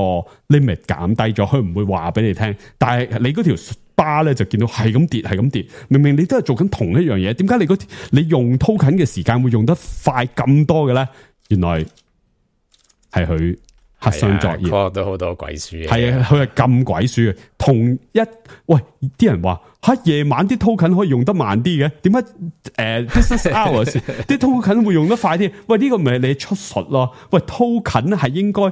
limit 減低咗，佢唔會話俾你聽。但係你嗰條 bar 咧就見到係咁跌，係咁跌。明明你都係做緊同一樣嘢，點解你用 token 嘅時間會用得快咁多嘅咧？原來係佢黑箱作業，都好多鬼書嘅。係啊，佢係咁鬼書嘅。啲人話夜晚啲 token 可以用得慢啲嘅，點解business hours 啲 token 會用得快啲？喂，呢個咪你出術咯？喂 token 係應該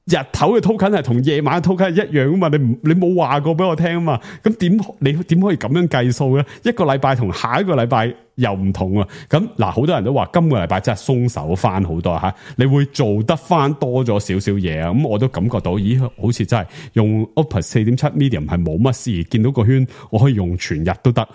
日頭嘅 token 係同夜晚嘅 token 係一樣啊嘛？你冇話過俾我聽啊嘛？咁你點可以咁樣計數咧？一個禮拜同下一個禮拜又唔同啊！咁嗱，好多人都話今個禮拜真係鬆手翻好多吓，你會做得翻多咗少少嘢啊！咁我都感覺到，咦，好似真係用 Opus 4.7 Medium 係冇乜事，見到個圈我可以用全日都得。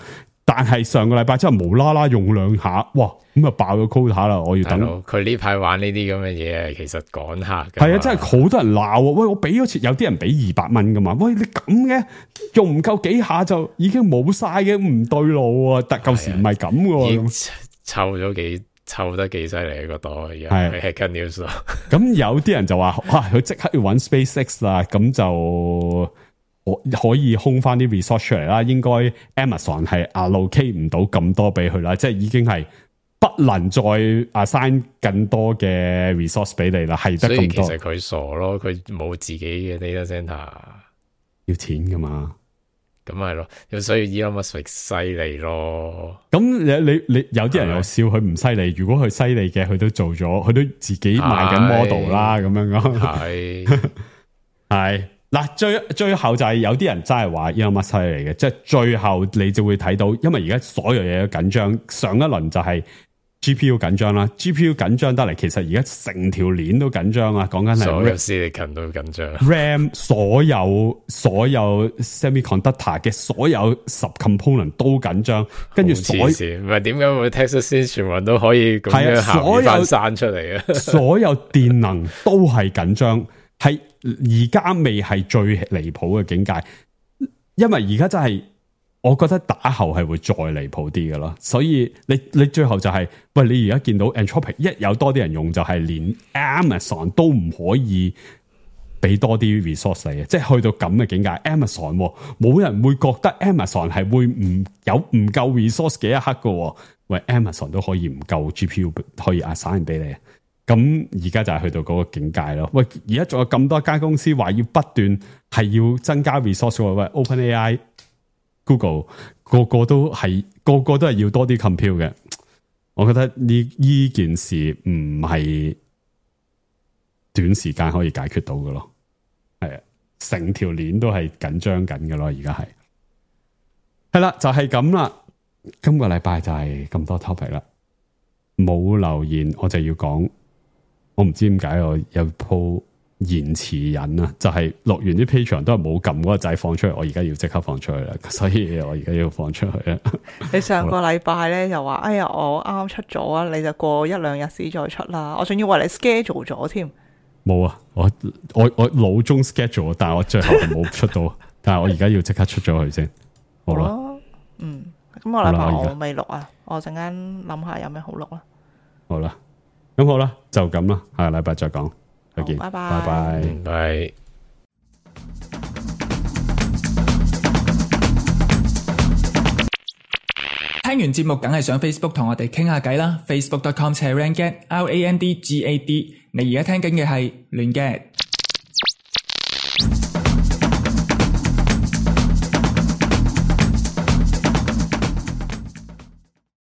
但係上個禮拜真係無啦啦用兩下，哇！咁啊爆咗 quota 啦，我要等。佢呢排玩呢啲咁嘅嘢，其實趕客。係啊，真係好多人鬧啊！喂，我俾咗錢，有啲人俾200蚊噶嘛？喂，你咁嘅用唔夠幾下就已經冇晒嘅，唔對路啊！但舊時唔係咁嘅，湊得幾犀利個袋，而家係 Hacker News 咯。咁有啲人就話，哇！佢即刻要揾 SpaceX 啦，咁就可以空翻啲 resource 出嚟啦。應該 Amazon 係 allocate 唔到咁多俾佢啦，即係已經係不能再 assign 更多嘅 resource 俾你啦，係得咁多。所以其實佢傻咯，佢冇自己嘅 data center，要錢噶嘛。咁係咯，所以 Elon Musk 犀利咯。咁你有啲人又笑佢唔犀利，如果佢犀利嘅，佢都做咗，佢都自己賣緊 model 啦，咁樣講。係嗱，最後就係有啲人真係話 Elon Musk 犀利嘅，即係最後你就會睇到，因為而家所有嘢都緊張，上一輪就係 GPU 緊張啦 ，GPU 緊張得嚟，其實而家成條鏈都緊張啊！講緊係所有 silicon 都緊張 ，RAM 所有 semiconductor 嘅所有subcomponent 都緊張，跟住唔係點解會 Texas 全部人都可以咁樣行翻山出嚟啊？所有電能都係緊張，係而家未係最離譜嘅境界，因為而家真係。我覺得打後係會再離譜啲嘅咯，所以你最後就係、是，喂，你而家見到 Anthropic 一有多啲人用，就係連 Amazon 都唔可以俾多啲 resource 你嘅，即係去到咁嘅境界。Amazon 冇人會覺得 Amazon 係會唔夠 resource 嘅一刻嘅，喂 Amazon 都可以唔夠 GPU 可以 assign 俾你，咁而家就係去到嗰個境界咯。喂，而家仲有咁多間公司話要不斷係要增加 resource，喂 OpenAI。Google 個個都係要多啲 compute 嘅，我覺得呢件事唔係短時間可以解決到嘅咯，係啊，成條鏈都係緊張緊嘅咯，而家係啦，就係咁啦。今個禮拜就係咁多 topic 啦，冇留言我就要講，我唔知點解我有鋪。延遲癮啊，就係錄完啲 Patreon 都係冇撳嗰個掣放出嚟，我而家要即刻放出去啦，所以我而家要放出去啦。你上個禮拜咧就話，哎呀，我啱啱出咗啊，你就過1-2日先再出啦，我仲要為你 schedule 咗添。冇啊，我腦中 schedule， 但係我最後冇出到，但係我而家要即刻出咗佢先。好啦，咁個禮拜我未錄啊，我陣間諗下有咩好錄啦。好啦，咁好啦，就咁啦，下個禮拜再講。拜拜，拜拜，拜。聽完節目梗係上 Facebook 同我哋傾下偈啦 ，Facebook.com/randgad，RANDGAD。你而家聽緊嘅係亂 gad。